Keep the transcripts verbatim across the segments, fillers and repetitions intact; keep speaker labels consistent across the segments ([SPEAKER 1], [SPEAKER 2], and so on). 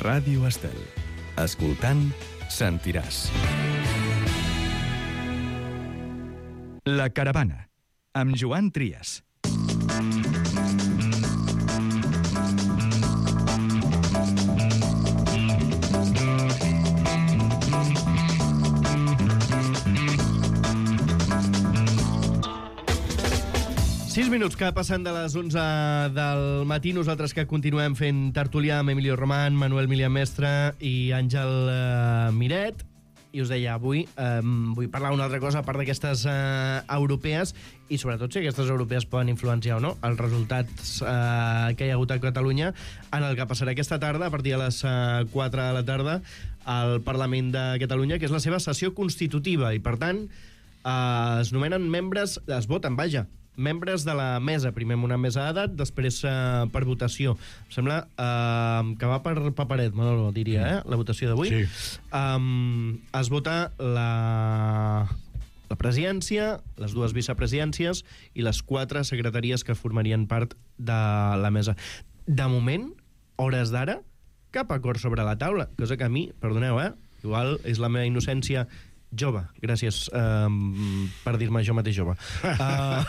[SPEAKER 1] Ràdio Estel. Escoltant, sentiràs. La Caravana, amb Joan Trias.
[SPEAKER 2] Sis minuts que passen de les onze del matí, nosaltres que continuem fent tertulià amb Emilio Román, Manuel Milian Mestre i Àngel eh, Miret. I us deia, avui eh, vull parlar una altra cosa a part d'aquestes eh, europees i sobretot si aquestes europees poden influenciar o no els resultats eh, que hi ha hagut a Catalunya en el que passarà aquesta tarda a partir de les eh, quatre de la tarda al Parlament de Catalunya, que és la seva sessió constitutiva i per tant eh, es nomenen membres, es voten, vaja, membres de la mesa, primer amb una mesa d'edat, després eh, per votació. Em sembla eh, que va per paperet, Manolo, diria, eh? La votació d'avui.
[SPEAKER 3] Sí.
[SPEAKER 2] Um, es vota la, la presidència, les dues vicepresidències i les quatre secretaries que formarien part de la mesa. De moment, hores d'ara, cap acord sobre la taula, cosa que a mi, perdoneu, eh? Igual és la meva innocència jove, gràcies um, per dir-me jo mateix jove. Uh...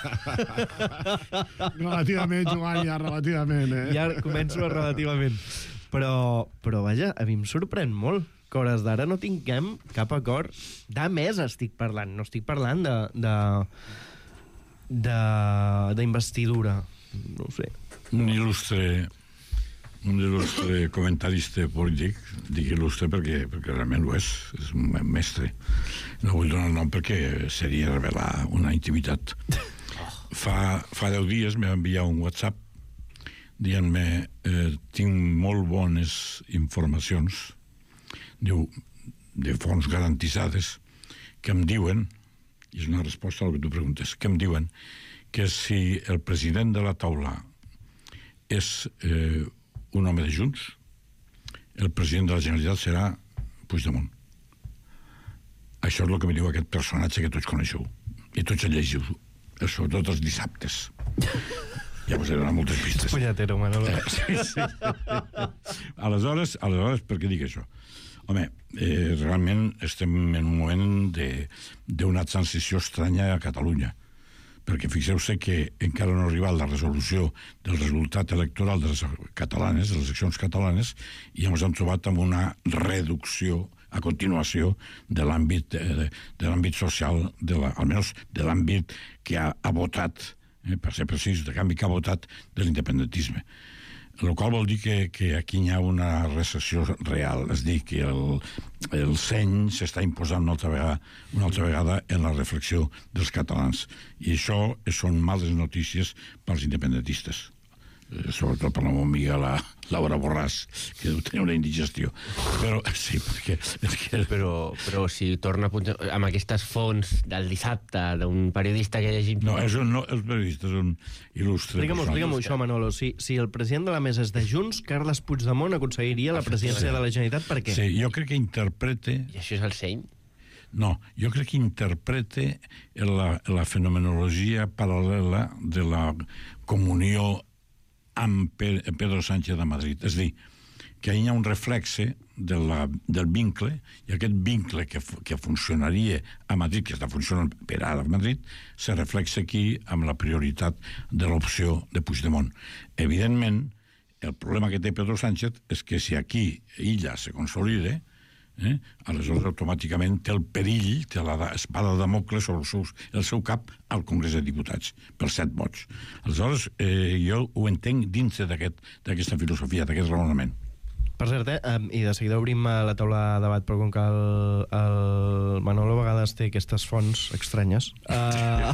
[SPEAKER 3] relativament, Joan, ja relativament, eh?
[SPEAKER 2] Ja començo a relativament. Però, però vaja, a mi em sorprèn molt que hores d'ara no tinguem cap acord. De mesa estic parlant, no estic parlant de... de de d'investidura. No ho sé.
[SPEAKER 3] Un il·lustre un il·lustre comentarista polític, dic il·lustre perquè, perquè realment ho és, és un mestre. No vull donar el nom perquè seria revelar una intimitat. Fa, fa deu dies m'ha enviat un WhatsApp dient-me eh, tinc molt bones informacions, diu, de fonts garantitzades, que em diuen, i és una resposta al que tu preguntes, que em diuen que si el president de la taula és eh, un home de Junts, el president de la Generalitat serà Puigdemont. Això és el que me diu aquest personatge que tots coneixeu i tots el llegiu, sobretot els dissabtes. Ja us he donat moltes pistes.
[SPEAKER 2] Punyatero, Manolo.
[SPEAKER 3] Eh, sí, sí. aleshores, aleshores, per què dic això? Home, eh, realment estem en un moment d'una transició estranya a Catalunya, perquè fixeu-se que encara no ha arribat la resolució del resultat electoral de les catalanes, de les eleccions catalanes, i ens hem trobat amb una reducció a continuació de l'àmbit de, de l'àmbit social, de la, almenys de l'àmbit que ha, ha votat, eh, per ser precís, de canvi que ha votat de l'independentisme. El qual vol dir que, que aquí hi ha una recessió real, és dir, que el, el seny s'està imposant una altra vegada, una altra vegada en la reflexió dels catalans. I això són males notícies pels independentistes. Sobretot per la meva amiga la Laura Borràs, que deu tenir una indigestió. Però sí, perquè... perquè...
[SPEAKER 4] Però, però si torna a punxar amb aquestes fonts del dissabte d'un periodista que llegim...
[SPEAKER 3] No, és un, no, els periodistes són il·lustres.
[SPEAKER 2] Explica'm-ho, explica'm això, Manolo. Si, si el president de la mesa és de Junts, Carles Puigdemont aconseguiria la presidència de la Generalitat, per què?
[SPEAKER 3] Sí, jo crec que interprete...
[SPEAKER 4] I això és el seny?
[SPEAKER 3] No, jo crec que interprete la, la fenomenologia paral·lela de la comunió amb Pedro Sánchez de Madrid. És a dir, que hi ha un reflexe de la, del vincle, i aquest vincle que, que funcionaria a Madrid, que està funcionant per ara a Madrid, se reflexa aquí amb la prioritat de l'opció de Puigdemont. Evidentment, el problema que té Pedro Sánchez és que si aquí ella se consolida, eh, aleshores automàticament té el perill, té l'espada de Damocles sobre el seu, el seu cap al Congrés de Diputats, per set vots. Aleshores, eh, jo ho entenc dins d'aquesta aquest, filosofia, d'aquest raonament.
[SPEAKER 2] Per cert, eh, i de seguida obrim la taula de debat, però com que el, el Manolo a vegades té aquestes fonts estranyes, uh,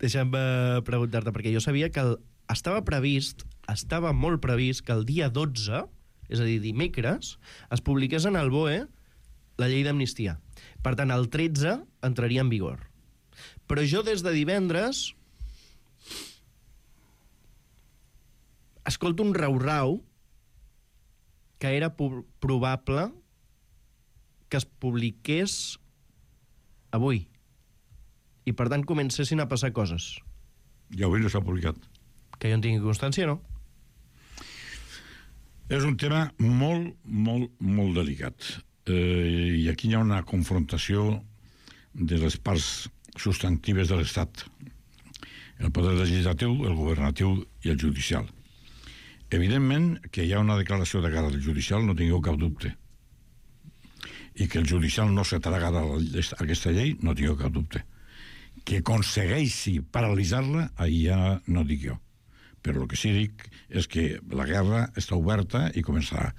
[SPEAKER 2] deixa'm uh, preguntar-te, perquè jo sabia que el, estava previst, estava molt previst que el dia dotze, és a dir, dimecres, es publiqués en el B O E la llei d'amnistia. Per tant, el tretze entraria en vigor. Però jo des de divendres escolto un rau-rau que era probable que es publiqués avui. I per tant comencessin a passar coses.
[SPEAKER 3] Ja avui no s'ha publicat.
[SPEAKER 2] Que jo en tingui constància, no?
[SPEAKER 3] És un tema molt, molt, molt delicat. Eh, I aquí hi ha una confrontació de les parts substantives de l'Estat. El poder legislatiu, el governatiu i el judicial. Evidentment que hi ha una declaració de guerra del judicial, no tingueu cap dubte. I que el judicial no se traga aquesta llei, no tingueu cap dubte. Que aconsegueixi paralitzar-la, ahir ja no dic jo. Però el que sí dic és que la guerra està oberta i començarà.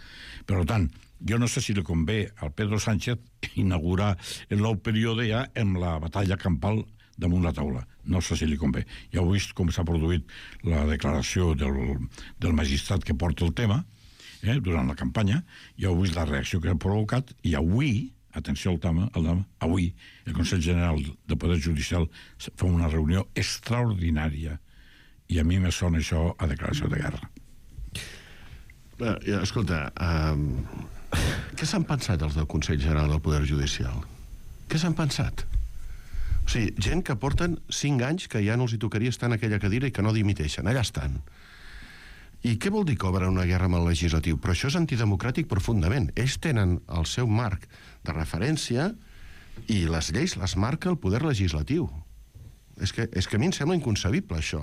[SPEAKER 3] Per tant, jo no sé si li convé al Pedro Sánchez inaugurar el nou període ja amb la batalla campal damunt la taula. No sé si li convé. Ja heu vist com s'ha produït la declaració del, del magistrat que porta el tema eh, durant la campanya, ja heu vist la reacció que ha provocat, i avui, atenció al tema, al tema, avui el Consell General del Poder Judicial fa una reunió extraordinària, i a mi me sona això a declaració de guerra.
[SPEAKER 5] Eh, escolta, eh, què s'han pensat els del Consell General del Poder Judicial? Què s'han pensat? O sigui, gent que porten cinc anys que ja no els hi tocaria estar en aquella cadira i que no dimiteixen, allà estan. I què vol dir que obren una guerra amb el legislatiu? Però això és antidemocràtic profundament. Ells tenen el seu marc de referència i les lleis les marca el poder legislatiu. És que, és que a mi em sembla inconcebible, això.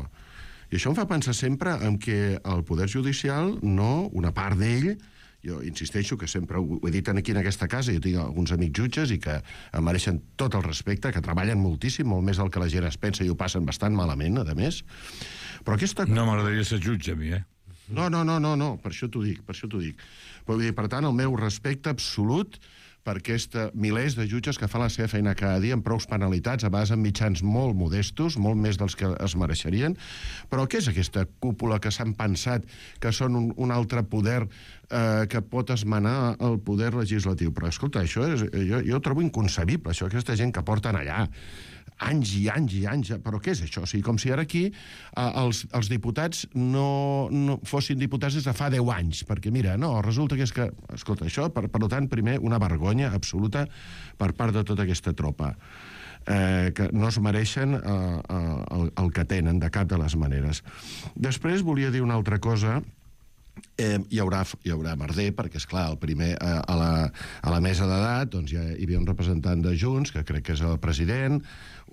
[SPEAKER 5] I això em fa pensar sempre en que el poder judicial, no, una part d'ell, jo insisteixo que sempre ho he dit aquí en aquesta casa, jo tinc alguns amics jutges i que em mereixen tot el respecte, que treballen moltíssim, molt més del que la gent es pensa, i ho passen bastant malament, a més. Però aquesta...
[SPEAKER 3] No m'agradaria ser jutge, a mi, eh?
[SPEAKER 5] No, no, no, no, no, per això t'ho dic, per això t'ho dic. Però, vull dir, per tant, el meu respecte absolut per aquesta milers de jutges que fan la seva feina cada dia amb prous penalitats, a vegades amb mitjans molt modestos, molt més dels que es mereixerien. Però què és aquesta cúpula que s'han pensat que són un, un altre poder eh, que pot esmenar el poder legislatiu? Però, escolta, això és, jo, jo ho trobo inconcebible, això, aquesta gent que porten allà anys i anys i anys, però què és això? O sigui, com si ara aquí eh, els, els diputats no, no fossin diputats des de fa deu anys, perquè mira, no, resulta que és que, escolta, això, per, per tant, primer, una vergonya absoluta per part de tota aquesta tropa, eh, que no es mereixen eh, eh, el, el que tenen de cap de les maneres. Després volia dir una altra cosa. Eh, hi haurà, hi haurà merder, perquè, esclar, el primer, eh, a, la, a la mesa d'edat doncs ja hi havia un representant de Junts, que crec que és el president,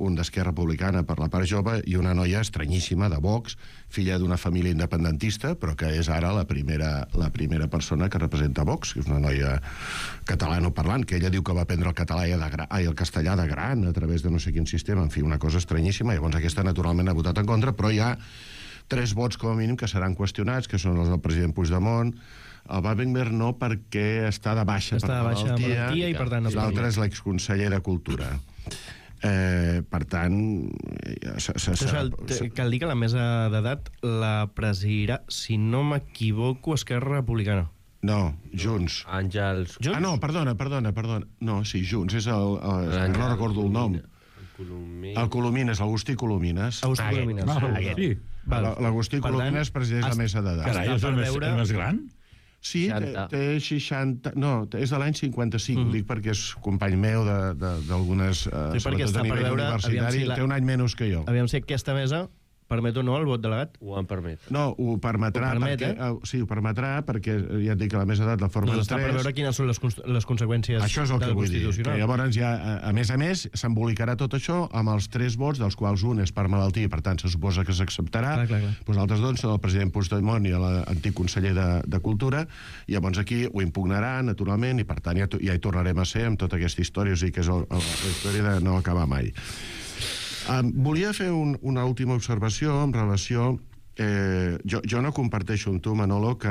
[SPEAKER 5] un d'Esquerra Republicana per la part jove, i una noia estranyíssima de Vox, filla d'una família independentista, però que és ara la primera, la primera persona que representa Vox, que és una noia catalanoparlant, que ella diu que va aprendre el català i de gra, ai, el castellà de gran a través de no sé quin sistema, en fi, una cosa estranyíssima. Llavors aquesta naturalment ha votat en contra, però hi ha tres vots com a mínim que seran qüestionats, que són els del president Puigdemont. El Wagner no, perquè està de baixa
[SPEAKER 2] està
[SPEAKER 5] per
[SPEAKER 2] de baixa
[SPEAKER 5] malaltia,
[SPEAKER 2] malaltia i per tant no
[SPEAKER 5] l'altre és l'exconseller de Cultura. Eh, per tant... Se, se, se,
[SPEAKER 2] cal,
[SPEAKER 5] se...
[SPEAKER 2] cal dir que la mesa d'edat la presidirà, si no m'equivoco, Esquerra Republicana.
[SPEAKER 5] No, Junts.
[SPEAKER 4] Àngels...
[SPEAKER 2] Junts?
[SPEAKER 5] Ah, no, perdona, perdona, perdona. No, sí, Junts, és el... el, el no recordo el nom.
[SPEAKER 4] Colomines.
[SPEAKER 5] El Colomines, l'Agustí Colomines.
[SPEAKER 2] Agustí
[SPEAKER 4] Ah,
[SPEAKER 2] Colomines.
[SPEAKER 3] Ah,
[SPEAKER 2] Aquest.
[SPEAKER 3] sí.
[SPEAKER 2] Val.
[SPEAKER 5] L'Agustí
[SPEAKER 2] Per
[SPEAKER 5] Colomines
[SPEAKER 2] tant,
[SPEAKER 5] presideix la
[SPEAKER 2] es-
[SPEAKER 5] mesa d'edat.
[SPEAKER 3] Carai, és
[SPEAKER 2] per
[SPEAKER 3] el més,
[SPEAKER 2] veure-
[SPEAKER 3] el més gran?
[SPEAKER 5] Sí, té,
[SPEAKER 4] seixanta.
[SPEAKER 5] té seixanta... No, és de l'any cinquanta-cinc,
[SPEAKER 2] Mhm.
[SPEAKER 5] ho dic perquè és company meu de- de- d'algunes... Uh,
[SPEAKER 2] Sí, perquè està per veure, aviam
[SPEAKER 5] universitari,
[SPEAKER 2] si la-
[SPEAKER 5] té un any menys que jo.
[SPEAKER 2] Aviam si aquesta mesa permet o no el vot delegat.
[SPEAKER 4] Ho en permet.
[SPEAKER 5] No, ho permetrà,
[SPEAKER 2] Ho permet,
[SPEAKER 5] perquè,
[SPEAKER 2] eh?
[SPEAKER 5] uh, sí, ho permetrà perquè ja et dic que la mesa d'edat la formen
[SPEAKER 2] Doncs està per
[SPEAKER 5] tres.
[SPEAKER 2] veure quines són les, cons- les conseqüències
[SPEAKER 5] Això és el que
[SPEAKER 2] del
[SPEAKER 5] vull dir. Que
[SPEAKER 2] Constitucional.
[SPEAKER 5] llavors ja, a, a més a més, s'embolicarà tot això amb els tres vots, dels quals un és per malaltia i per tant se suposa que s'acceptarà.
[SPEAKER 2] Clar, clar, clar.
[SPEAKER 5] Doncs els altres dos són el president Puigdemont i l'antic conseller de, de Cultura, i llavors aquí ho impugnarà, naturalment, i per tant ja, ja hi tornarem a ser amb tota aquesta història, o sigui que és el, el, la història de no acabar mai. Um, volia fer un, una última observació en relació... Eh, jo, jo no comparteixo amb tu, Manolo, que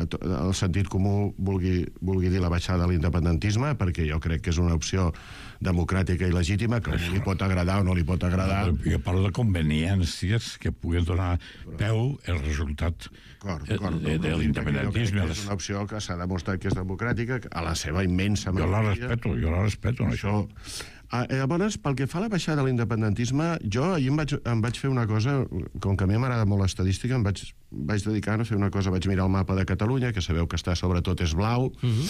[SPEAKER 5] to- el sentit comú vulgui, vulgui dir la baixada de l'independentisme, perquè jo crec que és una opció democràtica i legítima, que a un li pot agradar o no li pot agradar.
[SPEAKER 3] Jo parlo de conveniències que puguin donar peu el resultat
[SPEAKER 5] D'acord,
[SPEAKER 3] de,
[SPEAKER 5] d'acord,
[SPEAKER 3] de, de l'independentisme.
[SPEAKER 5] jo crec que és una opció que s'ha demostrat que és democràtica, a la seva immensa
[SPEAKER 3] Jo la
[SPEAKER 5] majoria.
[SPEAKER 3] respeto, jo la respeto, no, això.
[SPEAKER 5] Això... Ah, llavors, pel que fa a la baixada de l'independentisme, jo ahir em vaig, em vaig fer una cosa, com que a mi m'agrada molt l'estadística, em vaig vaig dedicar a fer una cosa, vaig mirar el mapa de Catalunya, que sabeu que està sobretot és blau, uh-huh.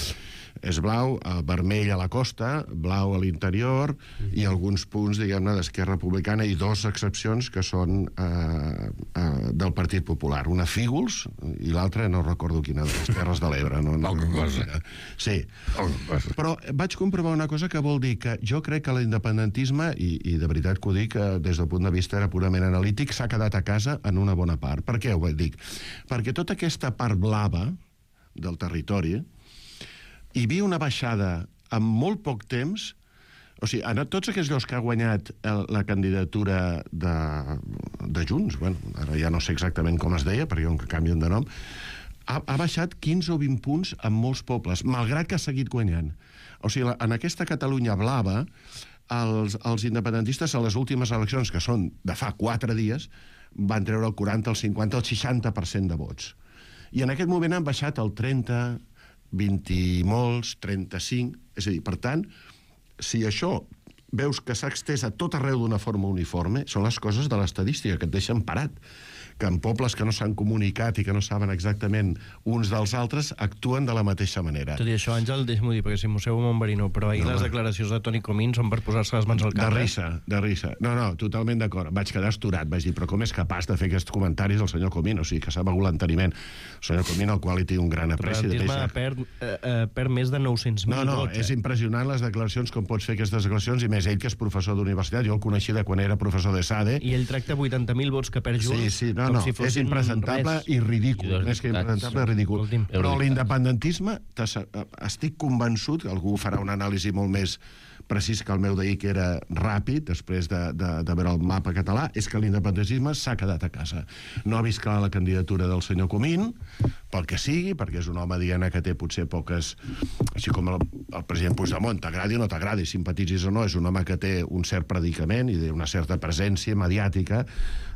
[SPEAKER 5] és blau, eh, vermell a la costa, blau a l'interior, uh-huh. i alguns punts, diguem-ne, d'Esquerra Republicana, i dos excepcions que són eh, eh, del Partit Popular. Una Fígols, i l'altra no recordo quina, de les Terres de l'Ebre. No, no,
[SPEAKER 3] Poca cosa.
[SPEAKER 5] Sí. Poca cosa. Però vaig comprovar una cosa que vol dir que jo crec que l'independentisme, i, i de veritat que ho dic, des del punt de vista era purament analític, s'ha quedat a casa en una bona part. Per què ho vaig dir? Perquè tota aquesta part blava del territori hi havia una baixada en molt poc temps. O sigui, en tots aquells llocs que ha guanyat el, la candidatura de, de Junts, bueno, ara ja no sé exactament com es deia, perquè com que canvien de nom, ha, ha baixat quinze o vint punts en molts pobles, malgrat que ha seguit guanyant. O sigui, la, en aquesta Catalunya blava, els, els independentistes a les últimes eleccions, que són de fa quatre dies, van treure el quaranta, el cinquanta, el seixanta per cent de vots. I en aquest moment han baixat el trenta, vint i molts, trenta-cinc... És a dir, per tant, si això veus que s'ha extès a tot arreu d'una forma uniforme, són les coses de l'estadística que et deixen parat. Que en pobles que no s'han comunicat i que no saben exactament uns dels altres actuen de la mateixa manera.
[SPEAKER 2] Tot i això, Àngel, deixa'm-ho dir, perquè si mossego mon verino, però ahir no, les declaracions de Toni Comín són per posar-se les mans al cap.
[SPEAKER 5] De risa, de risa. No, no, totalment d'acord. Vaig quedar asturat, vaig dir, però com és capaç de fer aquests comentaris el senyor Comín? O sigui, que s'ha begut l'enteniment. El senyor Comín, al qual hi té un gran apreci.
[SPEAKER 2] El realisme perd, eh, eh, perd més de nou-cents mil
[SPEAKER 5] no, no,
[SPEAKER 2] vots.
[SPEAKER 5] És
[SPEAKER 2] eh?
[SPEAKER 5] impressionant les declaracions, com pots fer aquestes declaracions, i més ell, que és professor d'universitat. Jo el coneixia de quan era professor de SADE.
[SPEAKER 2] I ell tracta vuitanta mil vots que perd Junts,
[SPEAKER 5] sí, sí, no,
[SPEAKER 2] com
[SPEAKER 5] no,
[SPEAKER 2] si fossin
[SPEAKER 5] és impresentable
[SPEAKER 2] res.
[SPEAKER 5] i ridícul. Més que impresentable, ridícul. Però l'independentisme, estic convençut, que algú farà una anàlisi molt més precís que el meu d'ahir, que era ràpid, després de, de, de veure el mapa català, és que l'independentisme s'ha quedat a casa. No ha vist clar la candidatura del senyor Comín, pel que sigui, perquè és un home, diguem, que té potser poques... Així com el, el president Puigdemont, t'agradi o no t'agradi, simpatitzis o no, és un home que té un cert predicament i una certa presència mediàtica.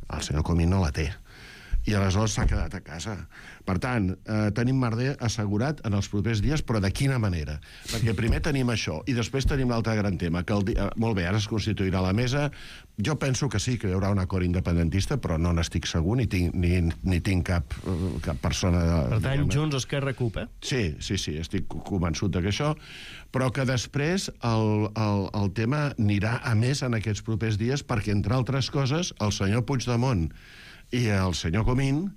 [SPEAKER 5] El senyor Comín no la té. I aleshores s'ha quedat a casa. Per tant, eh, tenim merder assegurat en els propers dies, però de quina manera? Perquè primer tenim això, i després tenim l'altre gran tema, que el dia... molt bé, ara es constituirà la mesa. Jo penso que sí, que hi haurà un acord independentista, però no n'estic segur, ni tinc, ni, ni tinc cap, cap persona... De,
[SPEAKER 2] per tant, diguem, Junts, Esquerra, C U P, eh?
[SPEAKER 5] Sí, sí, sí, estic convençut de que això, però que després el, el, el tema anirà a més en aquests propers dies, perquè, entre altres coses, el senyor Puigdemont i el senyor Comín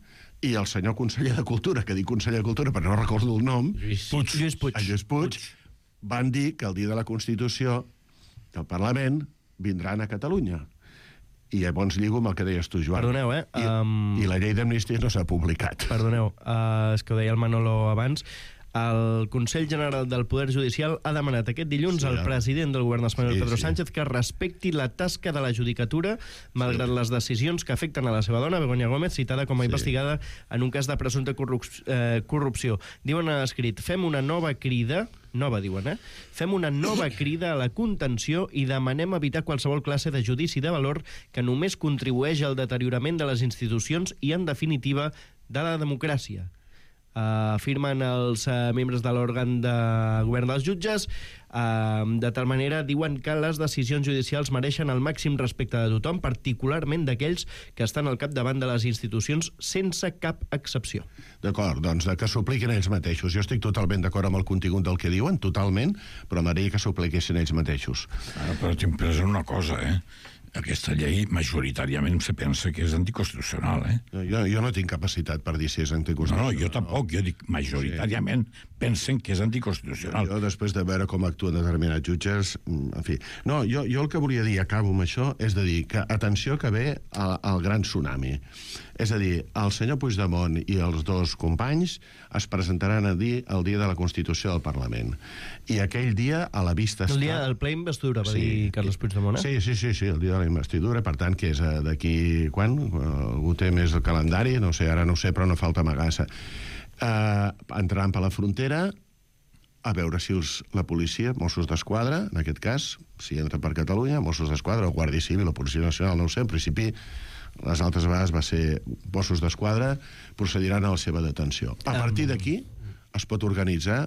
[SPEAKER 5] i el senyor conseller de Cultura, que dic conseller de Cultura però no recordo el nom,
[SPEAKER 4] Lluís
[SPEAKER 2] Puig, Lluís Puig.
[SPEAKER 5] el Lluís Puig, van dir que el dia de la Constitució del Parlament vindran a Catalunya. I llavors lligo amb el que deies tu, Joan.
[SPEAKER 2] Perdoneu, eh?
[SPEAKER 5] I,
[SPEAKER 2] Um...
[SPEAKER 5] i la llei d'amnistia no s'ha publicat.
[SPEAKER 2] Perdoneu, uh, és que ho deia el Manolo abans. El Consell General del Poder Judicial ha demanat aquest dilluns sí, al president del govern espanyol, sí, Pedro sí. Sánchez, que respecti la tasca de la judicatura, malgrat sí. les decisions que afecten a la seva dona, Begoña Gómez, citada com a sí. investigada en un cas de presumpta corrup eh, corrupció. Diuen a escrit, fem una nova crida, nova diuen, eh? Fem una nova crida a la contenció i demanem evitar qualsevol classe de judici de valor que només contribueix al deteriorament de les institucions i, en definitiva, de la democràcia. Uh, afirmen els uh, membres de l'òrgan de govern dels jutges. Uh, de tal manera, diuen que les decisions judicials mereixen el màxim respecte de tothom, particularment d'aquells que estan al capdavant de les institucions, sense cap excepció.
[SPEAKER 5] D'acord, doncs de que s'apliquin ells mateixos. Jo estic totalment d'acord amb el contingut del que diuen, totalment, però m'agradaria que s'apliquessin ells mateixos.
[SPEAKER 3] Ah, però tinc present una cosa, eh? Aquesta llei majoritàriament se pensa que és anticonstitucional, eh?
[SPEAKER 5] Jo, jo no tinc capacitat per dir si és anticonstitucional.
[SPEAKER 3] No, no, jo tampoc. Jo dic, majoritàriament sí. pensen que és anticonstitucional.
[SPEAKER 5] Jo, després de veure com actuen determinats jutges, en fi... No, jo, jo el que volia dir, acabo amb això, és de dir que, atenció, que ve el, el gran tsunami. És a dir, el senyor Puigdemont i els dos companys es presentaran a dir el dia de la Constitució del Parlament. I aquell dia, a la vista està...
[SPEAKER 2] El dia del ple investidura, va sí. dir Carles Puigdemont, eh?
[SPEAKER 5] Sí, sí, sí, sí, el dia de la investidura, per tant, que és d'aquí... Quan? Algú té més el calendari? No sé, ara no ho sé, però no falta amagassa. Uh, entraran per la frontera a veure si els, la policia, Mossos d'Esquadra, en aquest cas, si entra per Catalunya, Mossos d'Esquadra o Guàrdia Civil o Policia Nacional, no ho sé, en principi les altres vegades va ser Mossos d'Esquadra, procediran a la seva detenció. A partir d'aquí es pot organitzar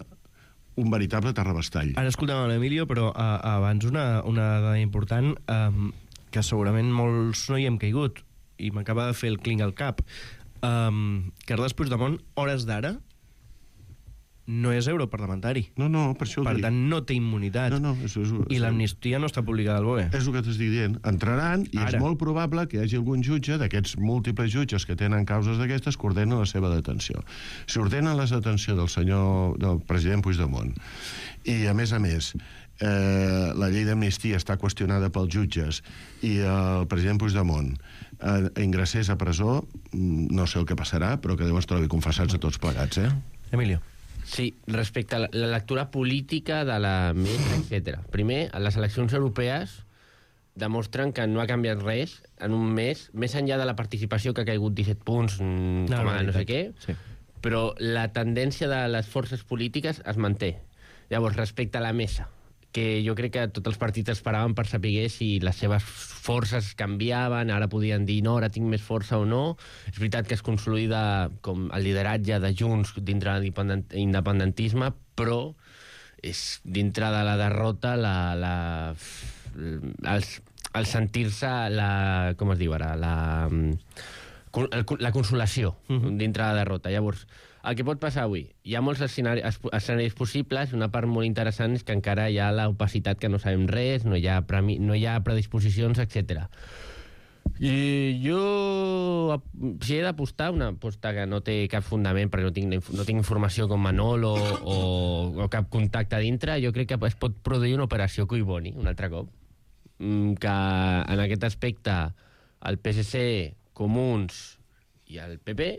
[SPEAKER 5] un veritable terrabastall.
[SPEAKER 2] Ara escoltem l'Emilio, però uh, abans una, una dada important, um, que segurament molts no hi hem caigut, i m'acaba de fer el clinc al cap. Um, Carles Puigdemont, hores d'ara, no és europarlamentari.
[SPEAKER 5] No, no, per això ho
[SPEAKER 2] Per
[SPEAKER 5] dic.
[SPEAKER 2] tant, no té immunitat.
[SPEAKER 5] No, no, és, és,
[SPEAKER 2] I l'amnistia no està publicada al B O E.
[SPEAKER 5] És el que t'estic dient. Entraran i
[SPEAKER 2] Ara.
[SPEAKER 5] és molt probable que hi hagi algun jutge d'aquests múltiples jutges que tenen causes d'aquestes que ordenen la seva detenció. Si ordenen la detenció del senyor, del president Puigdemont, i a més a més eh, la llei d'amnistia està qüestionada pels jutges i el president Puigdemont eh, ingressés a presó, no sé el que passarà, però que Déu ens trobi confessats a tots plegats, eh?
[SPEAKER 2] Emilio.
[SPEAKER 4] Sí, respecte a la, la lectura política de la mesa, etcètera. Primer, les eleccions europees demostren que no ha canviat res en un mes, més enllà de la participació que ha caigut disset punts, mm,
[SPEAKER 2] No,
[SPEAKER 4] com a
[SPEAKER 2] no,
[SPEAKER 4] no sé què,
[SPEAKER 2] sí.
[SPEAKER 4] però la tendència de les forces polítiques es manté. Llavors, respecte a la mesa, que jo crec que tots els partits esperaven per saber si les seves forces canviaven, ara podien dir no, ara tinc més força o no. És veritat que es consolida com el lideratge de Junts dintre de l'independentisme, però és dintre de la derrota la, la, el, el sentir-se la, com es diu ara, la, la consolació uh-huh. dintre de la derrota. Llavors, el que pot passar avui, hi ha molts escenaris, escenaris possibles, una part molt interessant és que encara hi ha l'opacitat que no sabem res, no hi ha, premi, no hi ha predisposicions, etcètera. I jo, si he d'apostar, una aposta que no té cap fundament, perquè no tinc, no tinc informació com Manol o, o, o cap contacte a dintre, jo crec que es pot produir una operació Collboni, un altre cop, que en aquest aspecte el P S C, Comuns i el P P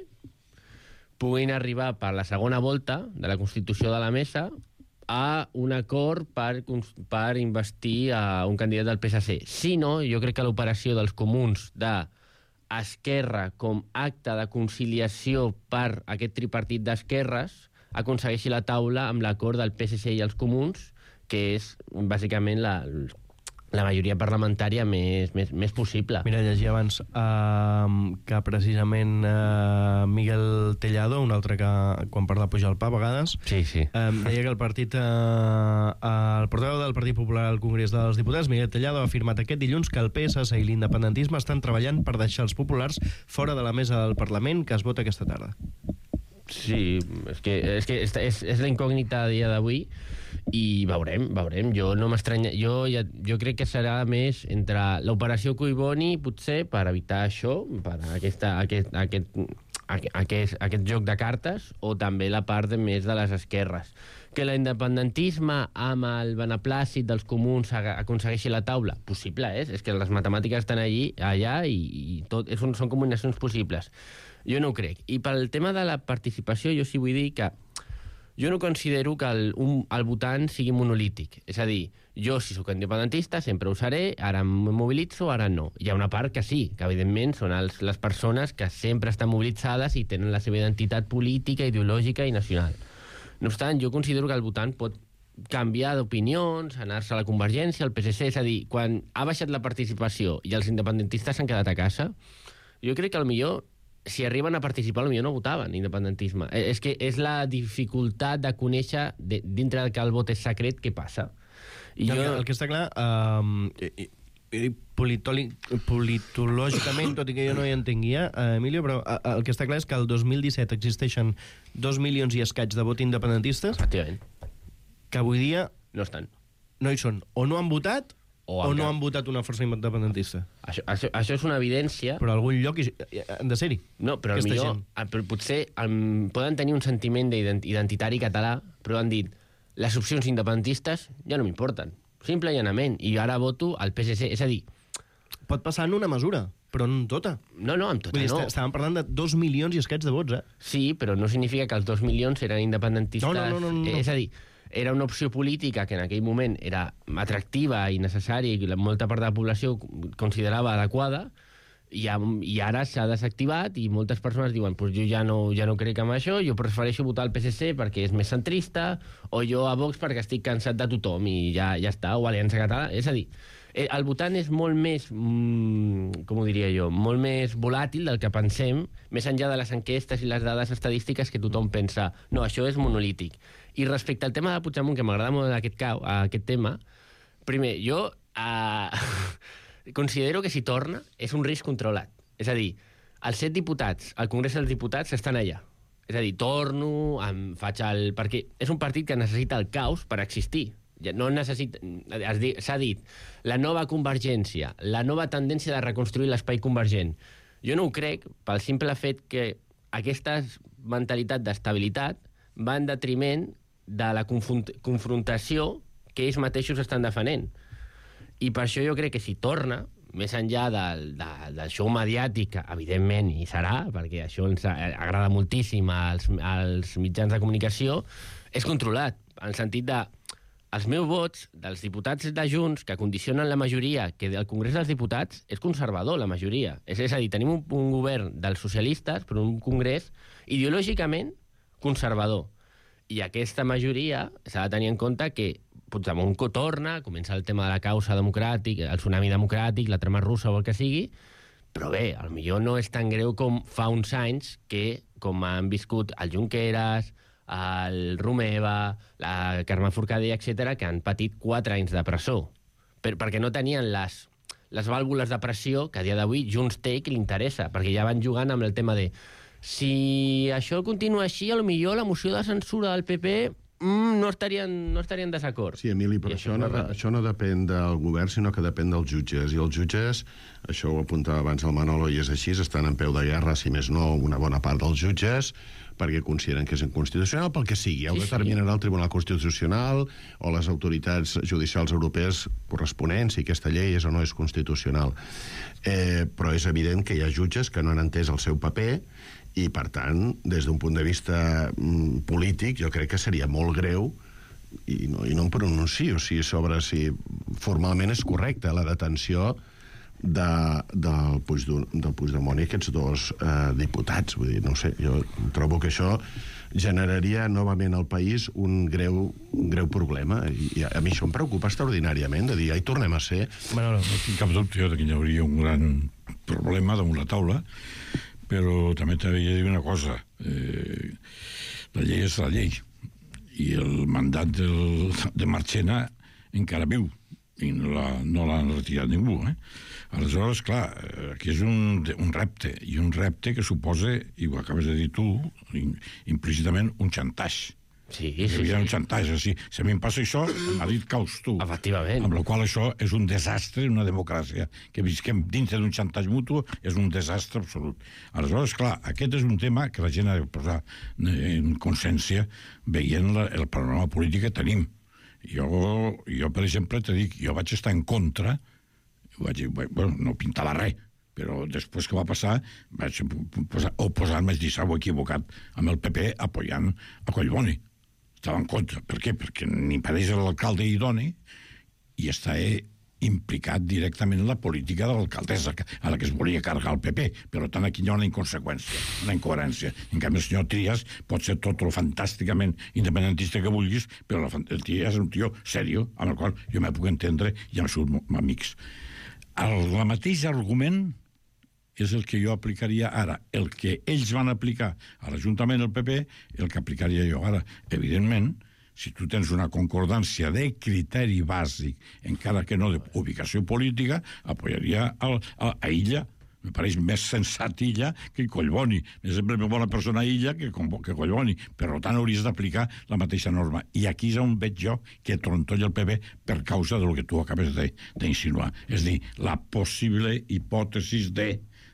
[SPEAKER 4] puguin arribar per la segona volta de la constitució de la mesa a un acord per, per investir a un candidat del P S C. Si no, jo crec que l'operació dels comuns d'Esquerra com acte de conciliació per aquest tripartit d'esquerres aconsegueixi la taula amb l'acord del P S C i els comuns, que és bàsicament la, la majoria parlamentària més, més, més possible.
[SPEAKER 2] Mira, llegia abans uh, que precisament uh, Miguel Tellado, un altre que quan parla puja el pa a vegades,
[SPEAKER 4] sí, sí.
[SPEAKER 2] Um, deia que el partit uh, el portaveu del Partit Popular al Congrés dels Diputats, Miguel Tellado, ha afirmat aquest dilluns que el P S C i l'independentisme estan treballant per deixar els populars fora de la mesa del Parlament que es vota aquesta tarda.
[SPEAKER 4] Sí, és que és, que és, és, és la incògnita a dia d'avui i veurem, veurem. Jo no m'estranya... Jo, ja, jo crec que serà més entre l'operació Collboni, potser, per evitar això, per aquesta, aquest, aquest, aquest, aquest joc de cartes, o també la part de més de les esquerres. Que l'independentisme amb el beneplàcit dels comuns aconsegueixi la taula? Possible, és? És que les matemàtiques estan allí, allà i, i tot, són, són combinacions possibles. Jo no ho crec. I pel tema de la participació, jo sí vull dir que jo no considero que el, un, el votant sigui monolític. És a dir, jo, si sóc independentista, sempre ho seré, ara em mobilitzo, ara no. Hi ha una part que sí, que evidentment són els, les persones que sempre estan mobilitzades i tenen la seva identitat política, ideològica i nacional. No obstant, jo considero que el votant pot canviar d'opinions, anar-se a la Convergència, al P S C, és a dir, quan ha baixat la participació i els independentistes s'han quedat a casa, jo crec que potser si arriben a participar, potser no votaven independentisme. És que és la dificultat de conèixer, de, dintre que el vot és secret, què passa.
[SPEAKER 2] I jo... El que està clar, eh, politològicament, tot i que jo no hi entenguia, eh, Emilio, però el que està clar és que el dos mil disset existeixen dos milions i escaig de vot independentistes que avui dia
[SPEAKER 4] no estan.
[SPEAKER 2] No hi són. O no han votat o, o no han votat una força independentista.
[SPEAKER 4] Això, això, això és una evidència.
[SPEAKER 2] Però a algun lloc hi, han de ser-hi.
[SPEAKER 4] No, però millor, però potser um, poden tenir un sentiment identitari català, però han dit, les opcions independentistes ja no m'importen. Simple i llanament. I ara voto al P S C. És a dir...
[SPEAKER 2] Pot passar en una mesura, però no en tota.
[SPEAKER 4] No, no, en tota
[SPEAKER 2] Vull dir,
[SPEAKER 4] no.
[SPEAKER 2] Estàvem parlant de dos milions i escaig de vots, eh?
[SPEAKER 4] Sí, però no significa que els dos milions eren independentistes.
[SPEAKER 2] No, no, no, no, no.
[SPEAKER 4] És a dir, era una opció política que en aquell moment era atractiva i necessària i molta part de la població considerava adequada, i, i ara s'ha desactivat i moltes persones diuen pues jo ja no, ja no crec en això, jo prefereixo votar al P S C perquè és més centrista, o jo a Vox perquè estic cansat de tothom i ja, ja està, o Aliança Catalana. És a dir, el votant és molt més, mmm, com ho diria jo, molt més volàtil del que pensem, més enllà de les enquestes i les dades estadístiques que tothom pensa, no, això és monolític. I respecte al tema de Puigdemont, que m'agrada molt aquest, cau, aquest tema, primer, jo eh, considero que si torna és un risc controlat. És a dir, els set diputats, al Congrés dels Diputats, estan allà. És a dir, torno, em faig el... Perquè és un partit que necessita el caos per existir. No necessita... S'ha dit, la nova convergència, la nova tendència de reconstruir l'espai convergent. Jo no ho crec, pel simple fet que aquesta mentalitat d'estabilitat va en detriment de la confrontació que ells mateixos estan defenent. I per això jo crec que si torna, més enllà del, de, del show mediàtic, evidentment hi serà, perquè això ens agrada moltíssim als, als mitjans de comunicació, és controlat, en el sentit de els meus vots dels diputats de Junts, que condicionen la majoria, que del Congrés dels Diputats és conservador, la majoria. És, és a dir, tenim un, un govern dels socialistes, però un congrés ideològicament conservador. I aquesta majoria s'ha de tenir en compte que Puigdemont torna, comença el tema de la causa democràtica, el tsunami democràtic, la trama russa o el que sigui, però bé, potser no és tan greu com fa uns anys que, com han viscut el Junqueras, el Romeva, la Carme Forcadell, etcètera, que han patit quatre anys de presó, per, perquè no tenien les, les vàlvules de pressió que a dia d'avui Junts té i que li interessa, perquè ja van jugant amb el tema de si això continua així, potser la moció de censura del P P mm, no estarien, no estarien en desacord.
[SPEAKER 5] Sí, Emili, però això, això, no, això no depèn del govern, sinó que depèn dels jutges. I els jutges, això ho apuntava abans el Manolo, i és així, estan en peu de guerra, si més no, una bona part dels jutges, perquè consideren que és inconstitucional, pel que sigui. Ja ho sí, determinarà sí. el Tribunal Constitucional o les autoritats judicials europees corresponents, si aquesta llei és o no és constitucional. Eh, però és evident que hi ha jutges que no han entès el seu paper i, per tant, des d'un punt de vista mm, polític, jo crec que seria molt greu, i no, i no em pronuncio si sobre si formalment és correcta la detenció de, del, Puigdemont, del Puigdemont i aquests dos eh, diputats. Vull dir, no sé, jo trobo que això generaria novament al país un greu, un greu problema. I, I a mi això em preocupa extraordinàriament, de dir, ja hi tornem a ser.
[SPEAKER 3] Bueno, no tinc cap dubte que hi hauria un gran problema damunt la taula, però també t'havia de dir una cosa. Eh, la llei és la llei. I el mandat del, de Marchena encara viu. I no l'ha no retirat ningú. Eh? Aleshores, clar, aquí és un, un repte. I un repte que suposa, i ho acabes de dir tu, implícitament un xantatge.
[SPEAKER 4] Sí,
[SPEAKER 3] sí,
[SPEAKER 4] sí.
[SPEAKER 3] Hi ha un xantatge, sí. Si a mi em passa això, m'ha dit caus tu.
[SPEAKER 4] Efectivament.
[SPEAKER 3] Amb la qual això és un desastre en una democràcia. Que visquem dintre d'un xantatge mutu és un desastre absolut. Aleshores, clar, aquest és un tema que la gent ha de posar en consciència veient la, el panorama polític que tenim. Jo, jo per exemple, te dic, jo vaig estar en contra, vaig, bueno, no pintava res, però després que va passar vaig posar, oposar-me, dir, s'ha equivocat amb el P P apoyant a Collboni. Estava en contra. Per què? Perquè ni pareix l'alcalde idoni i està implicat directament en la política de l'alcaldessa, a la que es volia carregar el P P. Per tant, aquí hi ha una inconseqüència, una incoherència. En canvi, el senyor Trias pot ser tot el fantàsticament independentista que vulguis, però el Trias és un tio sèrio, amb el qual jo me puc entendre i amb els seus amics. El, el mateix argument és el que jo aplicaria ara. El que ells van aplicar a l'Ajuntament del P P, el que aplicaria jo ara. Evidentment, si tu tens una concordància de criteri bàsic, encara que no d'ubicació política, apoyaria a, a, a Illa. Me pareix més sensat Illa que Collboni. És sempre més bona persona Illa que, que Collboni. Per tant, hauries d'aplicar la mateixa norma. I aquí és on veig jo que trontolla el P P per causa del que tu acabes d'insinuar. És a dir, la possible hipòtesi de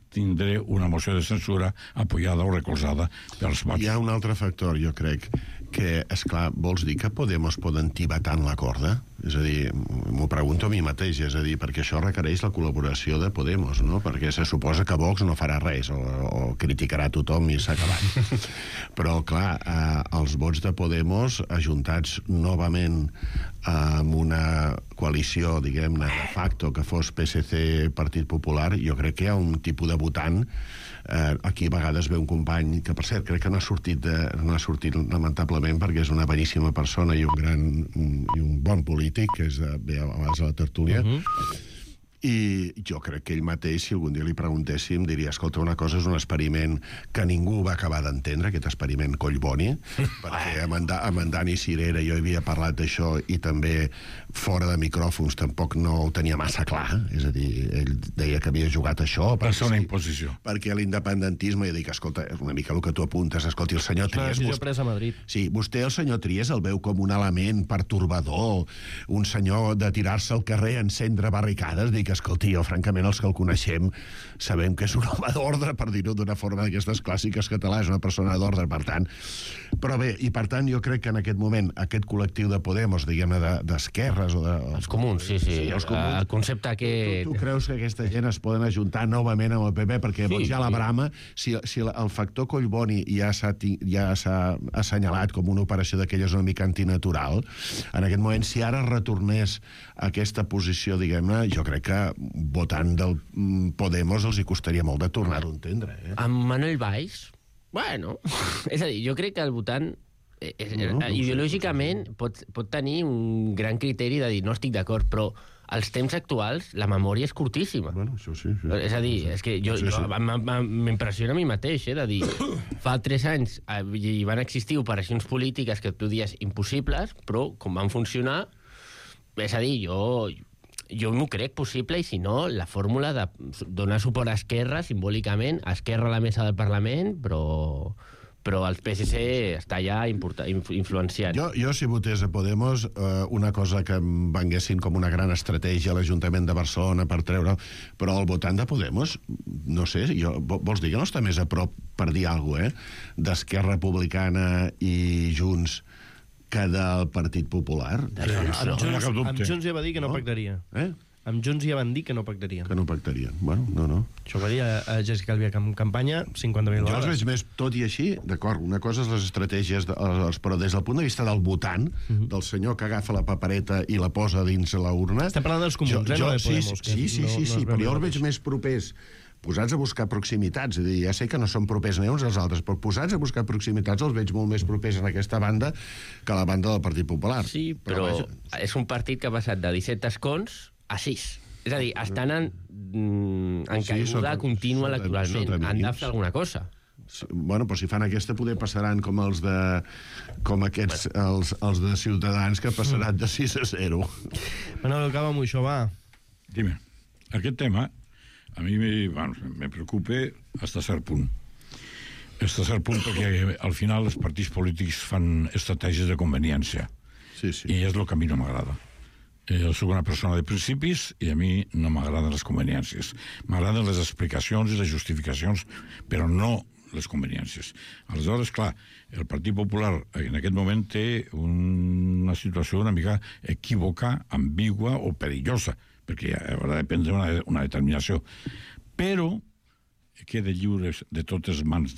[SPEAKER 3] tindré una moció de censura apoyada o recolzada pels vots.
[SPEAKER 5] Hi ha un altre factor, jo crec, que, esclar, vols dir que Podemos poden tibar tant la corda? És a dir, m'ho pregunto a mi mateix, és a dir, perquè això requereix la col·laboració de Podemos, no? Perquè se suposa que Vox no farà res, o, o criticarà tothom i s'ha acabat. Però, clar, eh, els vots de Podemos, ajuntats novament amb una coalició, diguem-ne, de facto, que fos P S C Partit Popular, jo crec que hi ha un tipus de votant. Eh, aquí a vegades ve un company que, per cert, crec que no ha sortit, de, no ha sortit lamentablement, perquè és una beníssima persona i un gran un, i un bon polític, que és de, ve a vegades a la tertúlia, uh-huh. I jo crec que ell mateix, si algun dia li preguntéssim, diria, escolta, una cosa és un experiment que ningú va acabar d'entendre, aquest experiment Collboni, perquè amb en, amb en Dani Cirera jo havia parlat d'això i també fora de micròfons tampoc no ho tenia massa clar, és a dir, ell deia que havia jugat això.
[SPEAKER 3] Per ser una imposició.
[SPEAKER 5] Perquè l'independentisme, jo dic, escolta, una mica el que tu apuntes, escolta, el senyor Trias...
[SPEAKER 2] Una decisió presa a Madrid.
[SPEAKER 5] Sí, vostè, el senyor Trias, el veu com un element pertorbador, un senyor de tirar-se al carrer a encendre barricades, dic, escolti, jo, francament, els que el coneixem sabem que és un home d'ordre, per dir-ho d'una forma d'aquestes clàssiques catalanes, una persona d'ordre, per tant. Però bé, i per tant, jo crec que en aquest moment aquest col·lectiu de Podemos, diguem-ne, d'esquerres o de...
[SPEAKER 4] Els comuns, sí, sí.
[SPEAKER 5] sí els comuns.
[SPEAKER 4] El concepte que...
[SPEAKER 5] Tu, tu creus que aquesta gent es poden ajuntar novament amb el P P? Perquè sí, ja la brama, si, si el factor Collboni ja s'ha ja s'ha assenyalat com una operació d'aquelles una mica antinatural, en aquest moment, si ara retornés a aquesta posició, diguem-ne, jo crec que votant del Podemos els hi costaria molt de tornar-ho a entendre. Eh?
[SPEAKER 4] Amb Manuel Valls, bueno, és a dir, jo crec que el votant eh, no, no ideològicament sé, pot, pot tenir un gran criteri de dir no estic d'acord, però als temps actuals la memòria és curtíssima.
[SPEAKER 5] Bueno, això sí, sí.
[SPEAKER 4] És a dir, és que jo, sí, sí. jo m'impressiona a mi mateix, eh, de dir, fa tres anys hi van existir operacions polítiques que tu dies impossibles, però com van funcionar, és a dir, jo... Jo m'ho crec possible, i si no, la fórmula de donar suport a Esquerra, simbòlicament, a Esquerra a la mesa del Parlament, però, però el P S C està ja influenciant.
[SPEAKER 5] Jo, jo si votés a Podemos, eh, una cosa que em venguessin com una gran estratègia a l'Ajuntament de Barcelona per treure... Però el votant de Podemos, no sé, jo, vols dir que no està més a prop, per dir alguna cosa, eh, d'Esquerra Republicana i Junts que del Partit Popular?
[SPEAKER 2] Sí, amb, Junts, amb Junts ja va dir que no, no? pactaria.
[SPEAKER 5] Eh?
[SPEAKER 2] Amb Junts ja van dir que no pactarien.
[SPEAKER 5] Que no pactarien. Bueno, no, no.
[SPEAKER 2] Això va dir a, a Jessica Albiach en campanya cinquanta mil vegades.
[SPEAKER 5] Jo els veig més, tot i així, d'acord, una cosa és les estratègies, de, els, però des del punt de vista del votant, uh-huh. del senyor que agafa la papereta i la posa dins la urna...
[SPEAKER 2] Estem parlant dels comuns,
[SPEAKER 5] jo,
[SPEAKER 2] eh?
[SPEAKER 5] Jo,
[SPEAKER 2] no
[SPEAKER 5] sí,
[SPEAKER 2] Podemos,
[SPEAKER 5] sí, sí, sí, sí, sí, però jo els veig més propers posats a buscar proximitats, és a dir, ja sé que no són propers ni uns als altres, però posats a buscar proximitats els veig molt més propers en aquesta banda que a la banda del Partit Popular.
[SPEAKER 4] Sí, però, però vaja... és un partit que ha passat de disset escons a sis. És a dir, estan en, en sí, caiguda sota, contínua sota, electoralment. Sota Han de fer alguna cosa.
[SPEAKER 5] Bueno, però si fan aquesta, poder passaran com els de com aquests, els, els de Ciutadans, que passaran de sis a zero.
[SPEAKER 2] Bueno, acaba amb això, va.
[SPEAKER 3] Dime, aquest tema a mi me, bueno, me preocupa hasta cert punt. Hasta cert punt perquè al final els partits polítics fan estratègies de conveniència.
[SPEAKER 5] Sí, sí.
[SPEAKER 3] I és el que a mi no m'agrada. Jo soc una persona de principis i a mi no m'agraden les conveniències. M'agraden les explicacions i les justificacions, però no les conveniències. Aleshores, clar, el Partit Popular en aquest moment té una situació una mica equívoca, ambigua o perillosa, perquè haurà de prendre una, una determinació. Però queda lliure de totes mans,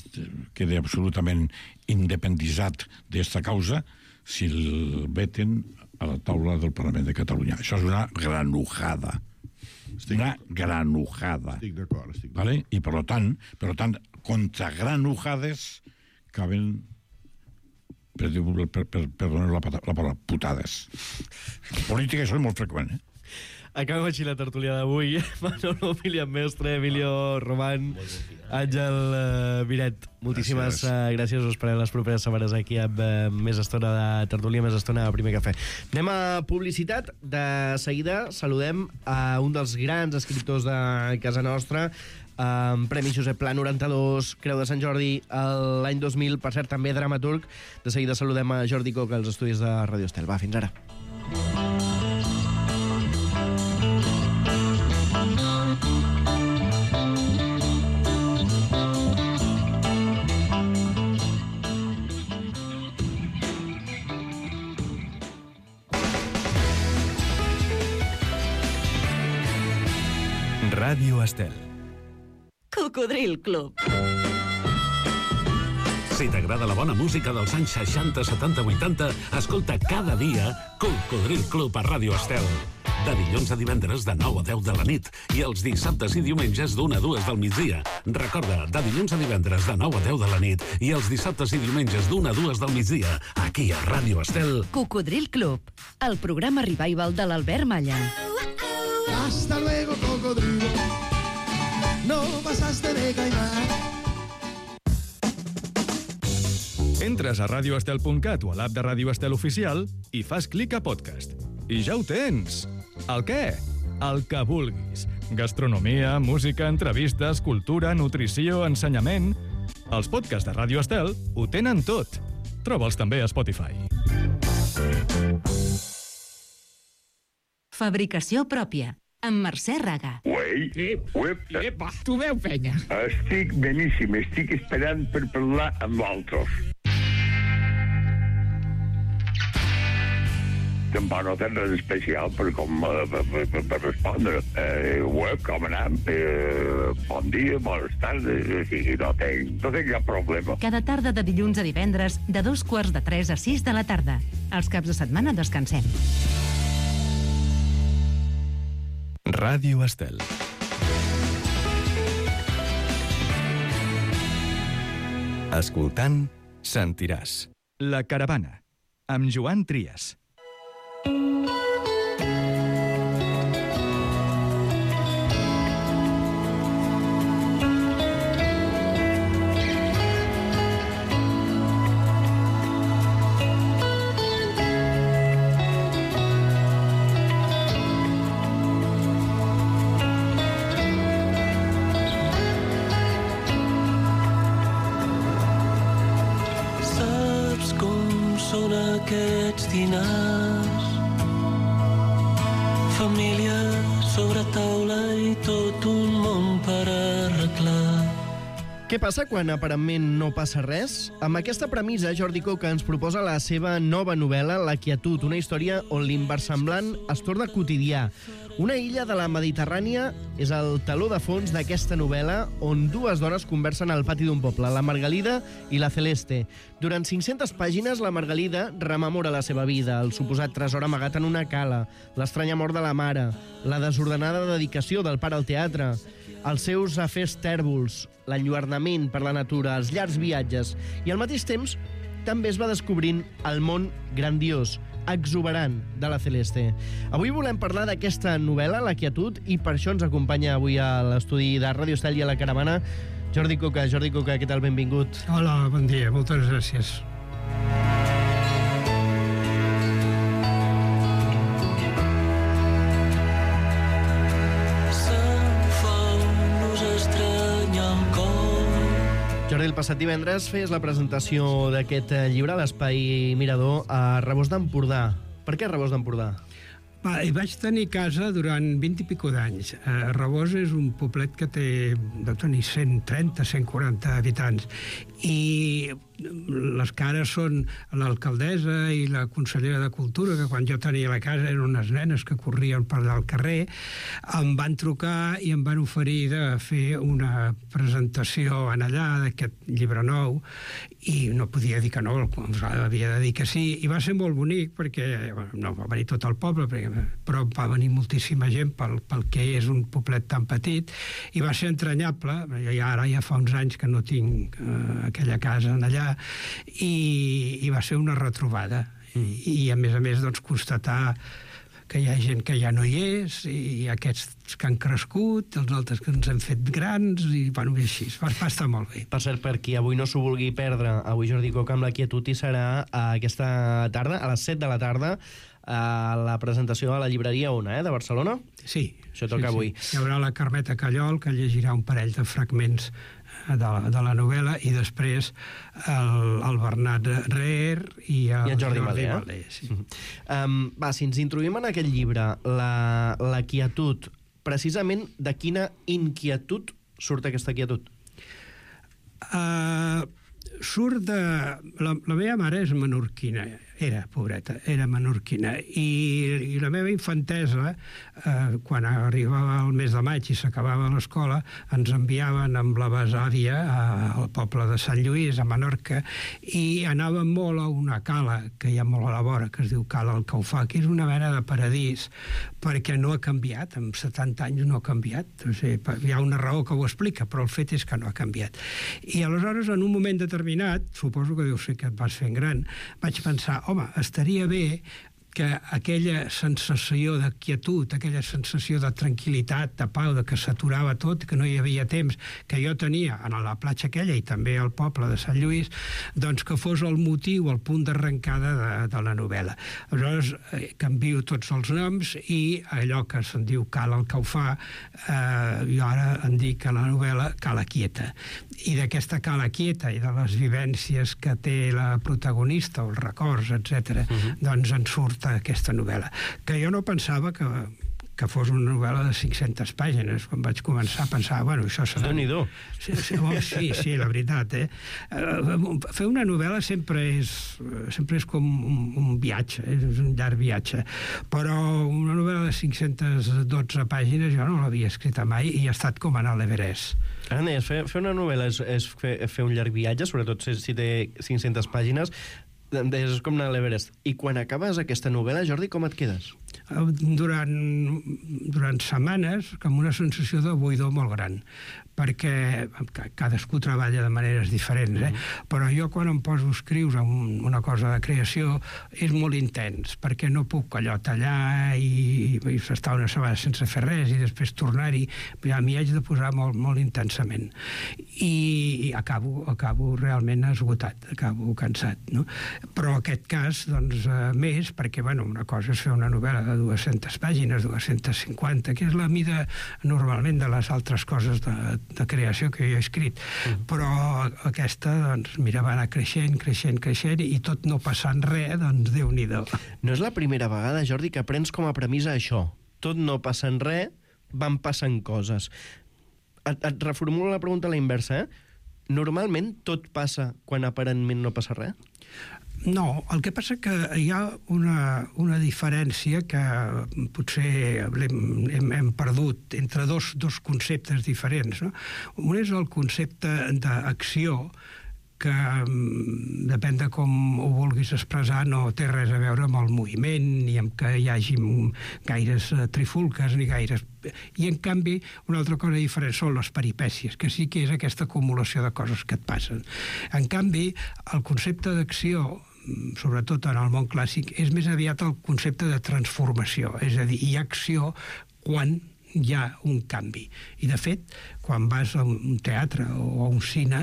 [SPEAKER 3] queda absolutament independitzat d'esta causa si el veten a la taula del Parlament de Catalunya. Això és una granujada. Estic una granujada.
[SPEAKER 5] Estic d'acord, estic d'acord.
[SPEAKER 3] Vale? I per tant, per tant, contra granujades caben, per, per, per, per donar la, la paraula, putades. En política això és molt freqüent, eh?
[SPEAKER 2] Acabem així la tertúlia d'avui. Manolo, Milian Mestre, Emilio Román, Àngel uh, Miret. Moltíssimes gràcies. Uh, gràcies. Us esperem les properes setmanes aquí amb uh, més estona de tertúlia, més estona de Primer Cafè. Anem a publicitat. De seguida saludem a un dels grans escriptors de casa nostra, amb um, Premi Josep Pla noranta-dos, Creu de Sant Jordi l'any dos mil, per cert, també dramaturg. De seguida saludem a Jordi Coca als estudis de Radio Estel. Va, fins ara.
[SPEAKER 1] Ràdio Estel.
[SPEAKER 6] Cocodril Club.
[SPEAKER 7] Si t'agrada la bona música dels anys seixanta, setanta, vuitanta, escolta cada dia Cocodril Club a Ràdio Estel. De dilluns a divendres de nou a deu de la nit i els dissabtes i diumenges d'una a dues del migdia. Recorda, de dilluns a divendres de nou a deu de la nit i els dissabtes i diumenges d'una a dues del migdia, aquí a Ràdio Estel.
[SPEAKER 6] Cocodril Club, el programa revival de l'Albert Malla.
[SPEAKER 8] Hasta luego,
[SPEAKER 1] Entres a radio estel punt cat o a l'app de Ràdio Estel Oficial i fas clic a podcast. I ja ho tens! El què? El que vulguis. Gastronomia, música, entrevistes, cultura, nutrició, ensenyament... Els podcasts de Ràdio Estel ho tenen tot. Troba'ls també a Spotify.
[SPEAKER 6] Fabricació pròpia, amb Mercè Raga.
[SPEAKER 8] Uei, uep,
[SPEAKER 9] Epa, tu veu, penya?
[SPEAKER 8] estic beníssim, estic esperant per parlar amb l'altres. Tampoc no tens res especial per, com, eh, per, per, per respondre. Eh, web, com anem? Eh, bon dia, bones tardes, o sigui, no tinc, no tinc cap problema.
[SPEAKER 6] Cada tarda de dilluns a divendres, de dos quarts de tres a sis de la tarda. Els caps de setmana descansem.
[SPEAKER 1] Ràdio Estel. Escoltant, sentiràs. La Caravana, amb Joan Trias.
[SPEAKER 10] Saps com són aquests dinars? Família sobre taula i tot un món per arreglar.
[SPEAKER 2] Què passa quan aparentment no passa res? Amb aquesta premissa, Jordi Coca ens proposa la seva nova novel·la, La quietud, una història on l'inversemblant es torna quotidià. Una illa de la Mediterrània és el teló de fons d'aquesta novel·la on dues dones conversen al pati d'un poble, la Margalida i la Celeste. Durant cinc-centes pàgines, la Margalida rememora la seva vida, el suposat tresor amagat en una cala, l'estranya mort de la mare, la desordenada dedicació del pare al teatre, els seus afers tèrbols, l'enlluernament per la natura, els llargs viatges, i al mateix temps també es va descobrint el món grandiós, exuberant de la Celeste. Avui volem parlar d'aquesta novel·la, La quietud, i per això ens acompanya avui a l'estudi de Ràdio Estel i a la Caravana Jordi Coca. Jordi Coca, què tal? Benvingut.
[SPEAKER 9] Hola, bon dia, moltes gràcies.
[SPEAKER 2] Jordi, el passat divendres feies la presentació d'aquest llibre a l'Espai Mirador a Rebost d'Empordà. Per què Rebost d'Empordà?
[SPEAKER 9] Va, hi vaig tenir casa durant vint i pico d'anys. Eh, Rebost és un poblet que té, deu tenir cent trenta, cent quaranta habitants. I les cares són l'alcaldessa i la consellera de Cultura, que quan jo tenia la casa eren unes nenes que corrien per allà al carrer, em van trucar i em van oferir de fer una presentació en allà d'aquest llibre nou, i no podia dir que no, havia de dir que sí, i va ser molt bonic perquè no va venir tot el poble, però va venir moltíssima gent pel, pel que és un poblet tan petit, i va ser entranyable. I ara ja fa uns anys que no tinc eh, aquella casa en allà, i, i va ser una retrobada. Mm. I, i a més a més, doncs, constatar que hi ha gent que ja no hi és, i aquests que han crescut, els altres que ens hem fet grans, i bueno, i així, va, va estar molt bé.
[SPEAKER 2] Per cert, per qui avui no s'ho vulgui perdre, avui Jordi Coca amb La quietud hi serà aquesta tarda, a les set de la tarda, a la presentació a la llibreria Ona, eh, de Barcelona?
[SPEAKER 9] Sí.
[SPEAKER 2] Això toca
[SPEAKER 9] sí,
[SPEAKER 2] avui.
[SPEAKER 9] Sí. Hi haurà la Carmeta Callol, que llegirà un parell de fragments de la, de la novel·la, i després el, el Bernat Reher i el,
[SPEAKER 2] I el Jordi, Jordi Malé.
[SPEAKER 9] Malé sí.
[SPEAKER 2] uh-huh. um, va, si ens introduïm en aquest llibre, la, la quietud, precisament de quina inquietud surt aquesta quietud?
[SPEAKER 9] Uh, surt de... La, la meva mare és menorquina, era, pobreta, era menorquina, i, i la meva infantesa, eh, quan arribava el mes de maig i s'acabava l'escola, ens enviaven amb la besàvia al poble de Sant Lluís, a Menorca, i anàvem molt a una cala que hi ha molt a la vora, que es diu Cala el Caufà, que és una mena de paradís, perquè no ha canviat, amb setanta anys no ha canviat. O sigui, hi ha una raó que ho explica, però el fet és que no ha canviat. I aleshores, en un moment determinat, suposo que deu ser que et vas fent gran, vaig pensar, home, estaria bé que aquella sensació de quietud, aquella sensació de tranquil·litat, de pau, de que s'aturava tot, que no hi havia temps, que jo tenia a la platja aquella i també al poble de Sant Lluís, doncs que fos el motiu, el punt d'arrencada de, de la novel·la. Aleshores, eh, canvio tots els noms i allò que se'n diu Cala el que ho fa, eh, jo ara en dic a la novel·la Cala quieta. I d'aquesta Cala quieta i de les vivències que té la protagonista, els records, etcètera, uh-huh. doncs en surt aquesta novel·la, que jo no pensava que, que fos una novel·la de cinc-centes pàgines. Quan vaig començar pensava, bueno, això serà...
[SPEAKER 2] Déu-n'hi-do.
[SPEAKER 9] Sí, sí, sí, sí, la veritat, eh? Fer una novel·la sempre és, sempre és com un, un viatge, eh? És un llarg viatge, però una novel·la de cinc-centes dotze pàgines jo no l'havia escrita mai i ha estat com anar a l'Everest.
[SPEAKER 2] Ara deies, fer, fer una novel·la és, és fer, fer un llarg viatge, sobretot si, si té cinc-centes pàgines, és com anar a l'Everest. I quan acabes aquesta novel·la, Jordi, com et quedes?
[SPEAKER 9] Durant, durant setmanes, com una sensació de buidor molt gran, perquè cadascú treballa de maneres diferents, eh? Mm. Però jo quan em poso a escriure un, una cosa de creació és molt intens, perquè no puc allò tallar i, i estar una setmana sense fer res i després tornar-hi, ja m'hi haig de posar molt, molt intensament. I, i acabo, acabo realment esgotat, acabo cansat, no? Però en aquest cas, doncs, eh, més, perquè, bueno, una cosa és fer una novel·la de dues-centes pàgines, dues-centes cinquanta, que és la mida normalment de les altres coses de, de creació que jo he escrit. Mm. Però aquesta, doncs, mira, va anar creixent, creixent, creixent, i tot no passant res, doncs, Déu-n'hi-do.
[SPEAKER 2] No és la primera vegada, Jordi, que prens com a premissa això. Tot no passant res, van passant coses. Et, et reformulo la pregunta a la inversa, eh? Normalment tot passa quan aparentment no passa res?
[SPEAKER 9] No, el que passa que hi ha una, una diferència que potser hem, hem, hem perdut entre dos, dos conceptes diferents, no? Un és el concepte d'acció, que depèn de com ho vulguis expressar, no té res a veure amb el moviment, ni amb que hi hagi gaires trifulques, ni gaires... I, en canvi, una altra cosa diferent són les peripècies, que sí que és aquesta acumulació de coses que et passen. En canvi, el concepte d'acció, sobretot en el món clàssic, és més aviat el concepte de transformació, és a dir, hi ha acció quan hi ha un canvi. I, de fet, quan vas a un teatre o a un cine,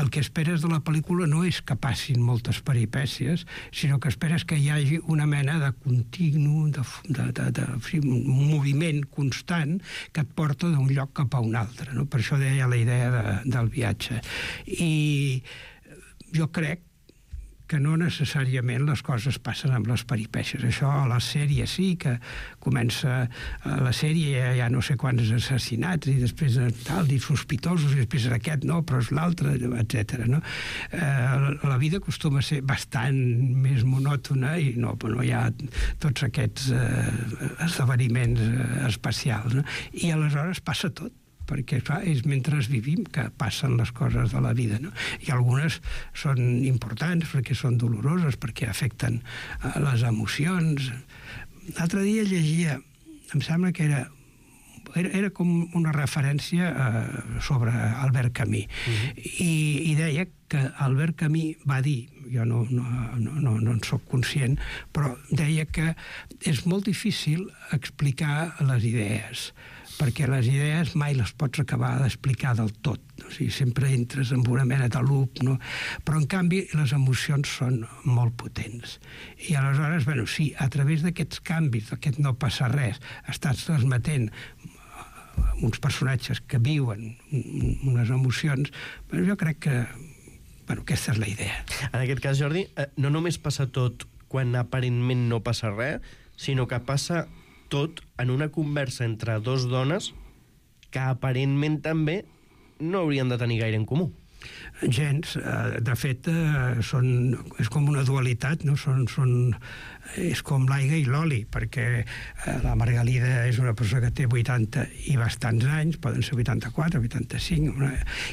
[SPEAKER 9] el que esperes de la pel·lícula no és que passin moltes peripècies, sinó que esperes que hi hagi una mena de continu, de, de, de, de, de un moviment constant que et porta d'un lloc cap a un altre, no? Per això deia la idea de, del viatge. I jo crec que no necessàriament les coses passen amb les peripècies. Això a la sèrie sí, que comença a la sèrie ja no sé quants assassinats i després tal, i sospitosos, i després aquest no, però és l'altre, etcètera. No? Eh, la vida acostuma a ser bastant més monòtona i no, no hi ha tots aquests eh, esdeveniments eh, especials. No? I aleshores passa tot, perquè clar, és mentre vivim que passen les coses de la vida, no? I algunes són importants perquè són doloroses, perquè afecten uh, les emocions. L'altre dia llegia, em sembla que era era, era com una referència uh, sobre Albert Camus, uh-huh. I, i deia que Albert Camus va dir, jo no, no, no, no, no en soc conscient, però deia que és molt difícil explicar les idees, perquè les idees mai les pots acabar d'explicar del tot. O sigui, sempre entres en una mena de loop, no? Però, en canvi, les emocions són molt potents. I aleshores, bueno, sí, a través d'aquests canvis, d'aquest no passa res, estàs transmetent uns personatges que viuen unes emocions, però jo crec que, bueno, aquesta és la idea.
[SPEAKER 2] En aquest cas, Jordi, no només passa tot quan aparentment no passa res, sinó que passa tot en una conversa entre dos dones que aparentment també no haurien de tenir gaire en comú.
[SPEAKER 9] Gens. De fet, són, és com una dualitat, no? Són, són, és com l'aigua i l'oli, perquè la Margalida és una persona que té vuitanta i bastants anys, poden ser vuitanta-quatre, vuitanta-cinc, una,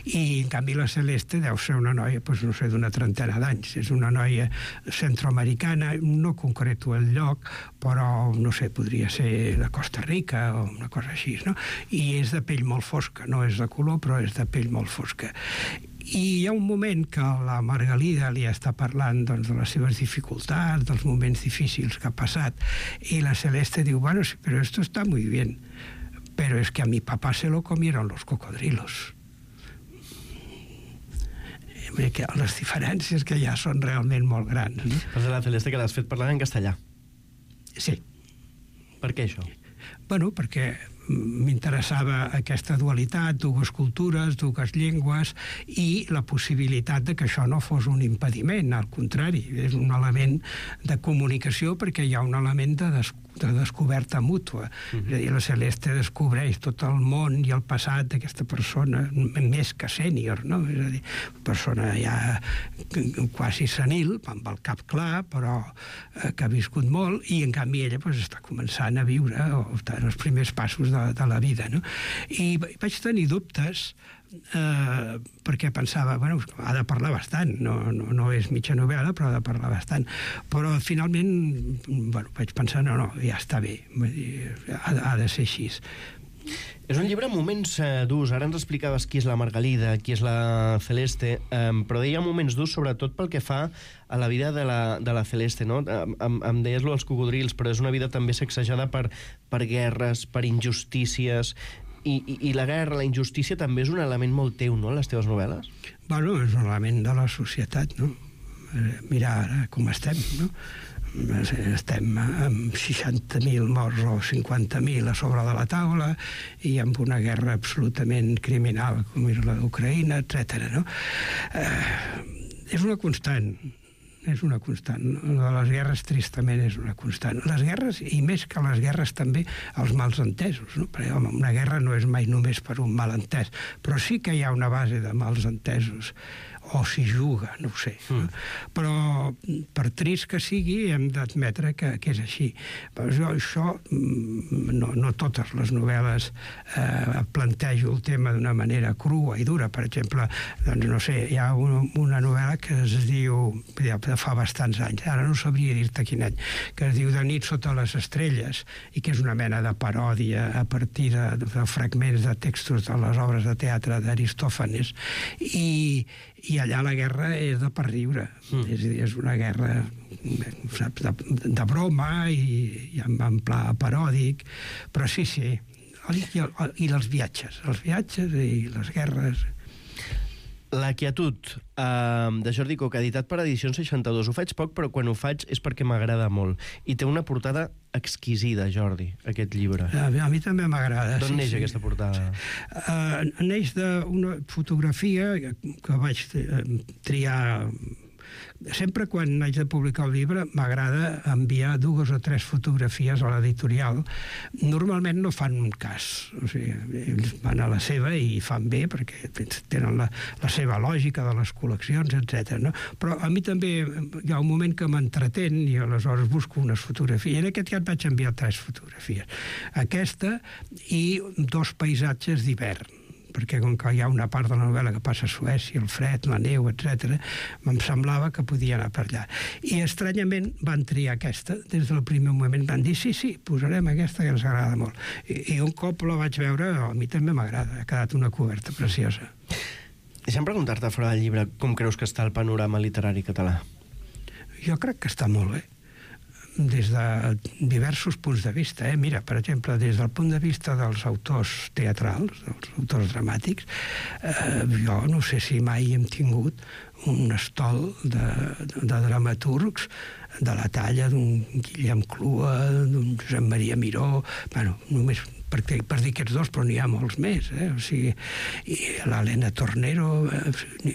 [SPEAKER 9] i en canvi la Celeste deu ser una noia, doncs, no sé, d'una trentena d'anys. És una noia centroamericana, no concreto el lloc, però, no sé, podria ser de Costa Rica o una cosa així, no? I és de pell molt fosca, no és de color, però és de pell molt fosca. I hi ha un moment que la Margalida li està parlant doncs, de les seves dificultats, dels moments difícils que ha passat, i la Celeste diu, bueno, sí, pero esto está muy bien, pero es que a mi papá se lo comieron los cocodrilos. Que les diferències que ja són realment molt grans. No?
[SPEAKER 2] Però de la Celeste que l'has fet parlar en castellà.
[SPEAKER 9] Sí.
[SPEAKER 2] Per què això?
[SPEAKER 9] Bueno, perquè m'interessava aquesta dualitat, dues cultures, dues llengües, i la possibilitat de que això no fos un impediment, al contrari, és un element de comunicació perquè hi ha un element de, des de descoberta mútua. Mm-hmm. És a dir, la Celeste descobreix tot el món i el passat d'aquesta persona, més que sènior, no? És a dir, persona ja quasi senil, amb el cap clar, però eh, que ha viscut molt, i en canvi ella pues, està començant a viure o està en els primers passos de de la vida, no? I vaig tenir dubtes eh, perquè pensava, bueno, ha de parlar bastant, no, no, no és mitja novel·la, però ha de parlar bastant. Però finalment, bueno, vaig pensar, no, no, ja està bé, ha, ha de ser així.
[SPEAKER 2] És un llibre amb moments eh, durs. Ara ens explicaves qui és la Margalida, qui és la Celeste, eh, però hi ha moments durs sobretot pel que fa a la vida de la, de la Celeste, no? Em, em deies lo dels cocodrils, però és una vida també sacsejada per, per guerres, per injustícies, i, i, i la guerra, la injustícia també és un element molt teu, no?, en les teves novel·les?
[SPEAKER 9] Bueno, és un element de la societat, no? Mira ara com estem, no? Estem amb seixanta mil morts o cinquanta mil a sobre de la taula i amb una guerra absolutament criminal com és la d'Ucraïna, etcètera, no? Eh, és una constant, és una constant. De les guerres, tristament, és una constant. Les guerres, i més que les guerres, també els mals entesos, no? Perquè, home, una guerra no és mai només per un malentès, però sí que hi ha una base de mals entesos, o s'hi juga, no ho sé. Mm. Però, per trist que sigui, hem d'admetre que, que és així. Però jo, això, no, no totes les novel·les eh, plantejo el tema d'una manera crua i dura. Per exemple, doncs, no sé, hi ha una, una novel·la que es diu, ja fa bastants anys, ara no sabria dir-te quin any, que es diu De nit sota les estrelles, i que és una mena de paròdia a partir de, de fragments de textos de les obres de teatre d'Aristòfanes, i i allà la guerra és de per riure. Mm. És, és una guerra, saps, de, de broma i, i en, en pla paròdic, però sí, sí. I, i, i els viatges, els viatges i les guerres.
[SPEAKER 2] La quietud, eh, de Jordi Coca, editat per Edicions seixanta-dos. Ho faig poc, però quan ho faig és perquè m'agrada molt. I té una portada exquisida, Jordi, aquest llibre.
[SPEAKER 9] A mi, a mi també m'agrada.
[SPEAKER 2] D'on
[SPEAKER 9] sí,
[SPEAKER 2] neix
[SPEAKER 9] sí.
[SPEAKER 2] aquesta portada?
[SPEAKER 9] Uh, neix d'una fotografia que vaig triar. Sempre quan haig de publicar el llibre m'agrada enviar dues o tres fotografies a l'editorial. Normalment no fan un cas, o sigui, ells van a la seva i fan bé perquè tenen la, la seva lògica de les col·leccions, etcètera. No? Però a mi també hi ha un moment que m'entretén i aleshores busco unes fotografies. En aquest cas vaig enviar tres fotografies. Aquesta i dos paisatges d'hivern, perquè com que hi ha una part de la novel·la que passa a Suècia, el fred, la neu, etcètera, em semblava que podia anar per allà. I estranyament van triar aquesta. Des del primer moment van dir, sí, sí, posarem aquesta que ens agrada molt. I, i un cop la vaig veure, a mi també m'agrada. Ha quedat una coberta preciosa.
[SPEAKER 2] Deixa'm preguntar-te fora del llibre com creus que està el panorama literari català?
[SPEAKER 9] Jo crec que està molt bé, des de diversos punts de vista. Eh? Mira, per exemple, des del punt de vista dels autors teatrals, dels autors dramàtics, eh, jo no sé si mai hem tingut un estol de, de, de dramaturgs de la talla d'un Guillem Clua, d'un Josep Maria Miró, bueno, només per, per dir aquests dos, però n'hi ha molts més, eh? O sigui, l'Helena Tornero, eh,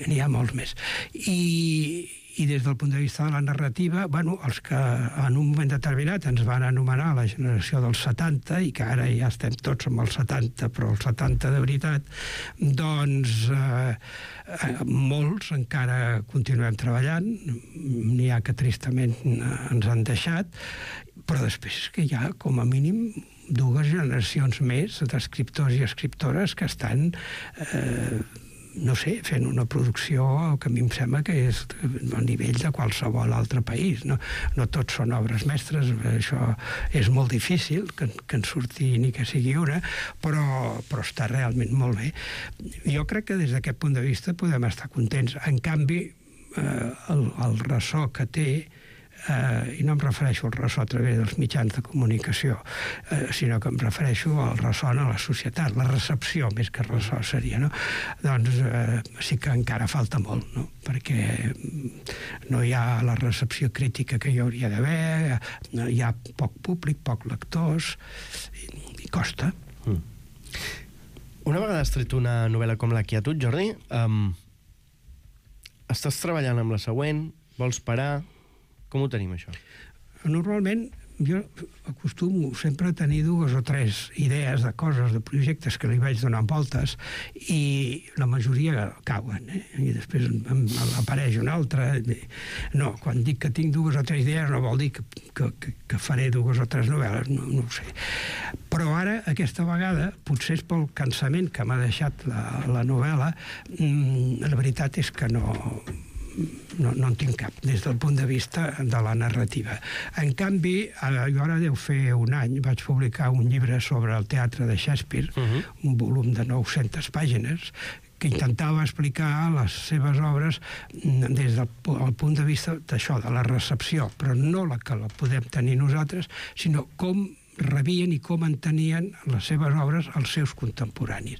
[SPEAKER 9] n'hi ha molts més. I i des del punt de vista de la narrativa, bueno, els que en un moment determinat ens van anomenar la generació dels setanta, i que ara ja estem tots amb els setanta, però els setanta de veritat, doncs eh, molts encara continuem treballant, n'hi ha que tristament ens han deixat, però després que hi ha, com a mínim, dues generacions més d'escriptors i escriptores que estan eh, no sé, fent una producció que a mi em sembla que és a nivell de qualsevol altre país. No, no tots són obres mestres, això és molt difícil que, que en surti ni que sigui una, però, però està realment molt bé. Jo crec que des d'aquest punt de vista podem estar contents. En canvi, eh, el, el ressò que té, eh, i no em refereixo al ressò a través dels mitjans de comunicació, eh, sinó que em refereixo al ressò a la societat, la recepció més que ressò seria, no? Doncs eh, sí que encara falta molt, no? Perquè no hi ha la recepció crítica que hi hauria d'haver, hi ha poc públic, poc lectors, i, i costa.
[SPEAKER 2] Mm. Una vegada has tret una novel·la com La quietud, Jordi, um, estàs treballant amb la següent, vols parar... Com ho tenim, això?
[SPEAKER 9] Normalment, jo acostumo sempre a tenir dues o tres idees de coses, de projectes que li vaig donant voltes, i la majoria cauen, eh? I després em apareix una altra. No, quan dic que tinc dues o tres idees no vol dir que, que, que faré dues o tres novel·les, no, no ho sé. Però ara, aquesta vegada, potser és pel cansament que m'ha deixat la, la novel·la, la veritat és que no... No, no en tinc cap, des del punt de vista de la narrativa. En canvi, jo ara deu fer un any, vaig publicar un llibre sobre el teatre de Shakespeare, uh-huh. un volum de nou-centes pàgines, que intentava explicar les seves obres des del punt de vista d'això, de la recepció, però no la que la podem tenir nosaltres, sinó com rebien i com entenien les seves obres els seus contemporanis.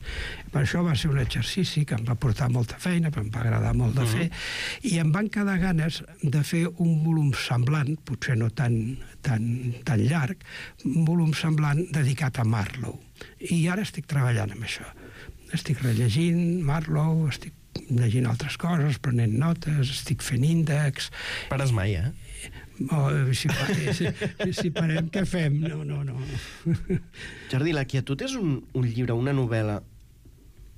[SPEAKER 9] Per això va ser un exercici que em va portar molta feina, em va agradar molt de fer, uh-huh. i em van quedar ganes de fer un volum semblant, potser no tan, tan, tan llarg, un volum semblant dedicat a Marlowe. I ara estic treballant amb això. Estic rellegint Marlowe, estic llegint altres coses, prenent notes, estic fent índexs...
[SPEAKER 2] Pares mai, eh?
[SPEAKER 9] Oh, si, si, si parem, què fem? No, no, no.
[SPEAKER 2] Jordi, La quietud és un, un llibre, una novel·la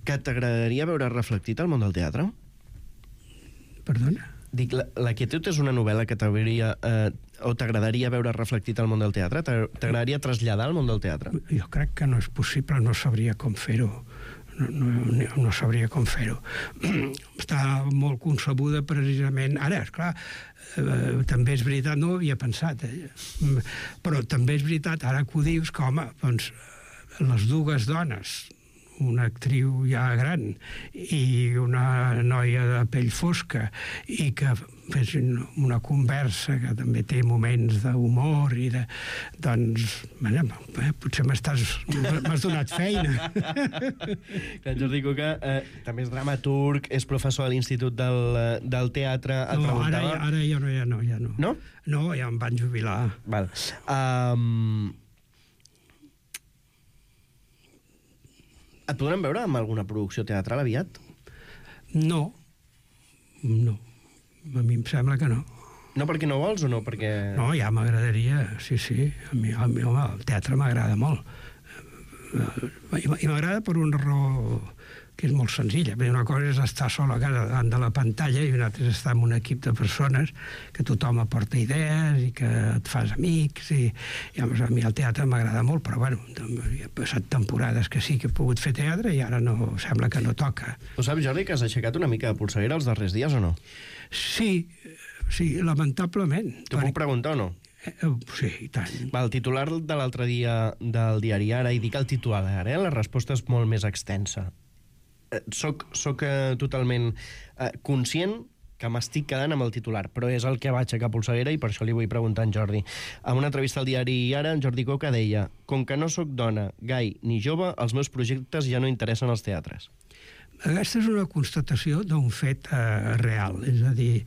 [SPEAKER 2] que t'agradaria veure reflectit al món del teatre?
[SPEAKER 9] Perdona?
[SPEAKER 2] Dic, la, la quietud és una novel·la que t'hauria, eh, o t'agradaria veure reflectit al món del teatre? T'agradaria traslladar al món del teatre?
[SPEAKER 9] Jo crec que no és possible, no sabria com fer-ho. No, no, no sabria com fer-ho. Està molt concebuda precisament... Ara, esclar, eh, també és veritat, no ho havia pensat, eh? Però també és veritat, ara que ho dius, que, home, doncs, les dues dones, una actriu ja gran i una noia de pell fosca, i que fessin una conversa que també té moments d'humor i de... Doncs, bueno, eh, potser m'estàs... m'has donat feina.
[SPEAKER 2] Clar, Jordi Cuca eh, també és dramaturg, és professor a l'Institut del, del Teatre...
[SPEAKER 9] No, preguntava... ara, ara ja no, ja no, ja no.
[SPEAKER 2] No?
[SPEAKER 9] No, ja em van jubilar.
[SPEAKER 2] Val. Um... Et podrem veure amb alguna producció teatral aviat?
[SPEAKER 9] No. No. A mi em sembla que no.
[SPEAKER 2] No perquè no vols o no perquè...
[SPEAKER 9] No, ja m'agradaria, sí, sí. A mi, a mi home, el teatre m'agrada molt. I m'agrada per una raó que és molt senzilla. Una cosa és estar sol a casa davant de la pantalla i una altra és estar amb un equip de persones que tothom aporta idees i que et fas amics i, i a mi el teatre m'agrada molt, però bueno, he passat temporades que sí que he pogut fer teatre i ara no, sembla que no toca.
[SPEAKER 2] Tu saps, Jordi, que has aixecat una mica de polseguera els darrers dies o no?
[SPEAKER 9] Sí, sí, lamentablement.
[SPEAKER 2] T'ho puc preguntar o no?
[SPEAKER 9] Sí, i tant.
[SPEAKER 2] Va, el titular de l'altre dia del diari Ara, i dic el titular ara, eh? La resposta és molt més extensa. Soc, soc eh, totalment eh, conscient que m'estic quedant amb el titular, però és el que va aixecar polseguera i per això li vull preguntar a en Jordi. En una entrevista al diari Ara, en Jordi Coca deia: com que no sóc dona, gai ni jove, els meus projectes ja no interessen als teatres.
[SPEAKER 9] Aquesta és una constatació d'un fet eh, real, és a dir,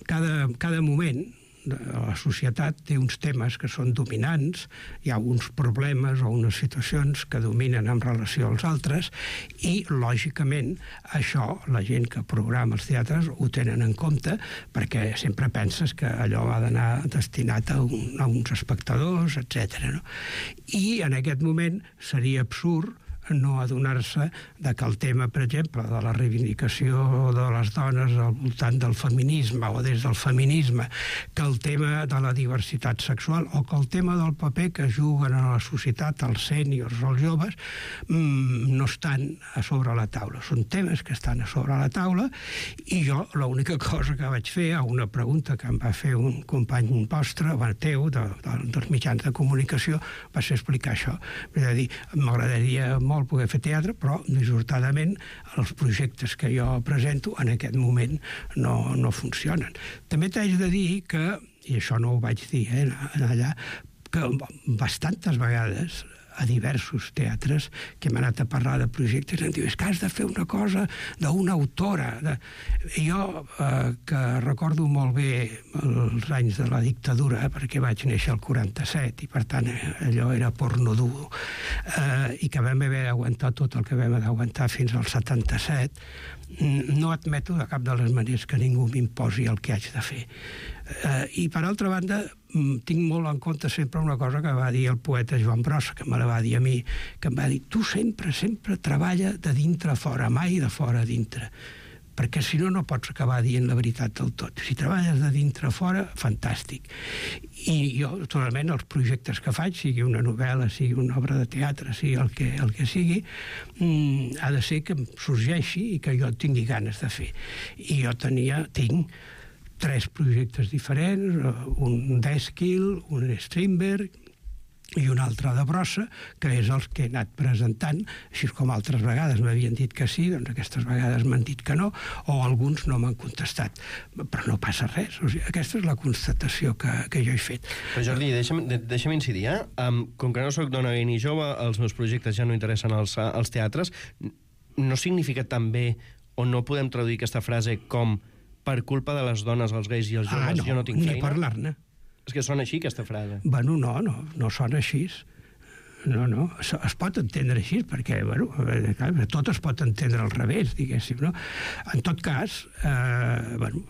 [SPEAKER 9] cada, cada moment la societat té uns temes que són dominants, hi ha uns problemes o unes situacions que dominen en relació als altres i, lògicament, això la gent que programa els teatres ho tenen en compte perquè sempre penses que allò ha d'anar destinat a, un, a uns espectadors, etcètera. No? I en aquest moment seria absurd no adonar-se de que el tema, per exemple, de la reivindicació de les dones al voltant del feminisme o des del feminisme, que el tema de la diversitat sexual o que el tema del paper que juguen a la societat els sèniors o els joves mmm, no estan a sobre la taula. Són temes que estan a sobre la taula i jo l'única cosa que vaig fer a una pregunta que em va fer un company vostre, bueno, teu, de, de, dels mitjans de comunicació, va ser explicar això. És a dir, m'agradaria molt poder fer teatre, però dissortadament els projectes que jo presento en aquest moment no, no funcionen. També t'haig de dir que, i això no ho vaig dir eh, allà, que bastantes vegades a diversos teatres que hem anat a parlar de projectes em diu, és que has de fer una cosa d'una autora. De... Jo, eh, que recordo molt bé els anys de la dictadura, perquè vaig néixer al quaranta-set i per tant allò era porno dur, eh, i que vam haver d'aguantar tot el que vam d'aguantar fins al setanta-set, no admeto de cap de les maneres que ningú m'imposi el que haig de fer. Eh, I per altra banda, tinc molt en compte sempre una cosa que va dir el poeta Joan Brossa, que me la va dir a mi, que em va dir, tu sempre, sempre treballa de dintre a fora, mai de fora a dintre, perquè si no, no pots acabar dient la veritat del tot. Si treballes de dintre a fora, fantàstic. I jo, totalment, els projectes que faig, sigui una novel·la, sigui una obra de teatre, sigui el que, el que sigui, mmm, ha de ser que em sorgeixi i que jo tingui ganes de fer. I jo tenia, tinc, tres projectes diferents, un d'Èsquil, un Strindberg i un altre de Brossa, que és els que he anat presentant, així com altres vegades m'havien dit que sí, doncs aquestes vegades m'han dit que no, o alguns no m'han contestat. Però no passa res. O sigui, aquesta és la constatació que, que jo he fet.
[SPEAKER 2] Però Jordi, deixa'm, deixa'm incidir, eh? Um, com que no soc dona ni jove, els meus projectes ja no interessen als, als teatres, no significa també, o no podem traduir aquesta frase com per culpa de les dones, els gais i els joves, ah, no, jo no tinc feina?
[SPEAKER 9] Ni parlar-ne.
[SPEAKER 2] És que sona així, aquesta frase.
[SPEAKER 9] Bueno, no, no, no sona així. No, no, es pot entendre així, perquè, bueno, tot es pot entendre al revés, diguéssim, no? En tot cas, eh, bueno,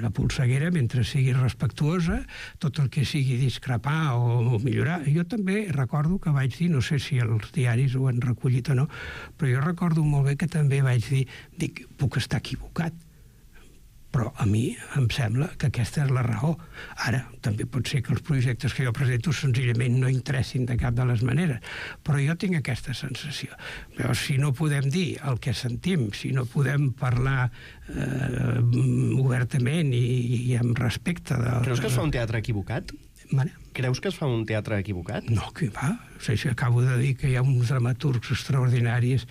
[SPEAKER 9] la polseguera, mentre sigui respectuosa, tot el que sigui discrepar o millorar. Jo també recordo que vaig dir, no sé si els diaris ho han recollit o no, però jo recordo molt bé que també vaig dir, dic, puc estar equivocat, però a mi em sembla que aquesta és la raó. Ara, també pot ser que els projectes que jo presento senzillament no interessin de cap de les maneres, però jo tinc aquesta sensació. Però si no podem dir el que sentim, si no podem parlar eh, obertament i, i amb respecte... De,
[SPEAKER 2] Creus que es fa un teatre equivocat?
[SPEAKER 9] Mare?
[SPEAKER 2] Creus que es fa un teatre equivocat?
[SPEAKER 9] No, que va. O sigui, acabo de dir que hi ha uns dramaturgs extraordinaris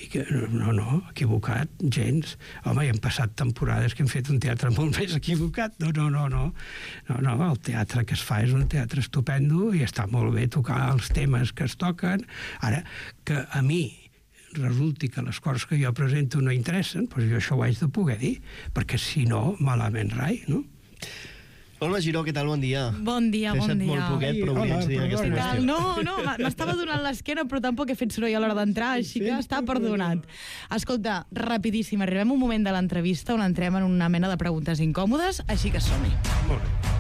[SPEAKER 9] i que no, no, equivocat, gens. Home, hi han passat temporades que hem fet un teatre molt més equivocat. No, no, no, no. No, no, el teatre que es fa és un teatre estupendo i està molt bé tocar els temes que es toquen. Ara, que a mi resulti que les coses que jo presento no interessen, doncs jo això ho haig de poder dir, perquè si no, malament rai, no?
[SPEAKER 2] Olga Giró, què tal? Bon dia.
[SPEAKER 11] Bon dia, bon dia.
[SPEAKER 2] T'he deixat molt poquet, però volia incidir en aquesta qüestió.
[SPEAKER 11] No, no, m'estava donant l'esquena, però tampoc he fet soroll a l'hora d'entrar, així que està perdonat. Escolta, rapidíssim, arribem a un moment de l'entrevista on entrem en una mena de preguntes incòmodes, així que som-hi.
[SPEAKER 9] Molt bé.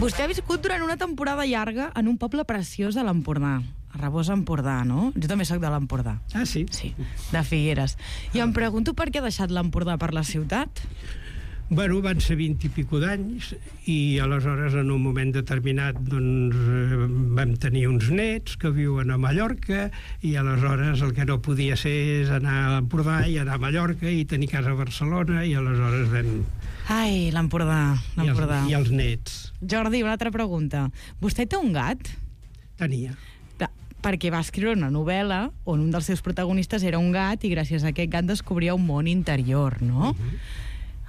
[SPEAKER 11] Vostè ha viscut durant una temporada llarga en un poble preciós de l'Empordà, a Rabós, Empordà, no? Jo també soc de l'Empordà.
[SPEAKER 9] Ah, sí?
[SPEAKER 11] Sí, de Figueres. I em pregunto per què ha deixat l'Empordà per la ciutat?
[SPEAKER 9] Bueno, van ser vint i pico d'anys i aleshores en un moment determinat doncs, vam tenir uns nets que viuen a Mallorca i aleshores el que no podia ser és anar a l'Empordà i anar a Mallorca i tenir casa a Barcelona i aleshores vam...
[SPEAKER 11] Ai, l'Empordà, l'Empordà.
[SPEAKER 9] I, I els nets.
[SPEAKER 11] Jordi, una altra pregunta. Vostè té un gat?
[SPEAKER 9] Tenia.
[SPEAKER 11] Perquè va escriure una novel·la on un dels seus protagonistes era un gat i gràcies a aquest gat descobria un món interior, no? Uh-huh.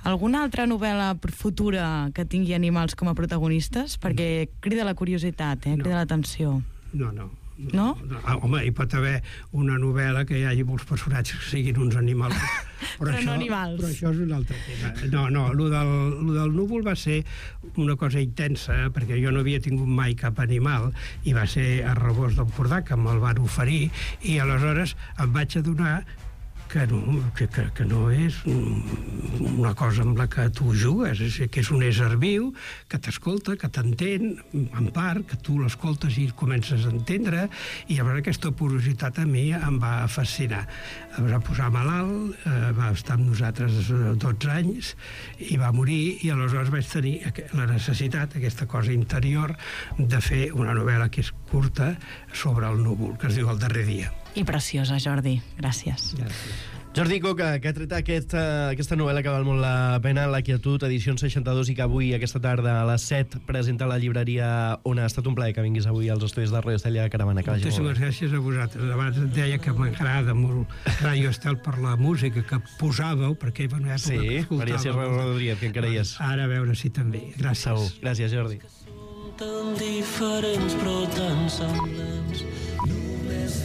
[SPEAKER 11] Alguna altra novel·la futura que tingui animals com a protagonistes? Perquè crida la curiositat, eh? Crida l'atenció.
[SPEAKER 9] No, no.
[SPEAKER 11] No?
[SPEAKER 9] no? Home, hi pot haver una novel·la que hi hagi molts personatges que siguin uns animals.
[SPEAKER 11] Però, però això, no animals.
[SPEAKER 9] Però això és un altre tema. No, no, lo del, lo del núvol va ser una cosa intensa, perquè jo no havia tingut mai cap animal, i va ser a Rabós d'Empordà, que me'l van oferir, i aleshores em vaig adonar que no, que, que, que no és una cosa amb la que tu jugues, és, que és un ésser viu que t'escolta, que t'entén, en part, que tu l'escoltes i comences a entendre, i llavors aquesta porositat a mi em va fascinar. Em va posar malalt, eh, va estar amb nosaltres dotze anys i va morir, i aleshores vaig tenir la necessitat, aquesta cosa interior, de fer una novel·la que és curta sobre el núvol, que es diu El darrer dia.
[SPEAKER 11] I preciosa, Jordi. Gràcies.
[SPEAKER 9] Gràcies.
[SPEAKER 2] Jordi Coca, que ha tret aquesta, aquesta novel·la que val molt la pena, La quietud, edicions seixanta-dos, i que avui, aquesta tarda, a les set, presenta a la llibreria On. Ha estat un plaer que vinguis avui als estudis de Ràdio Estel i a Caravana. Que
[SPEAKER 9] Moltíssimes gràcies a vosaltres. Abans et deia que m'agrada molt Ràdio Estel per la música que posàveu, perquè hi va una època
[SPEAKER 2] sí,
[SPEAKER 9] que escoltàveu.
[SPEAKER 2] Maria Serra Rodríguez, que encara hi és.
[SPEAKER 9] Ara a veure si també. Gràcies.
[SPEAKER 2] Segur. Gràcies, Jordi.
[SPEAKER 10] Tan diferents però tan semblants. Només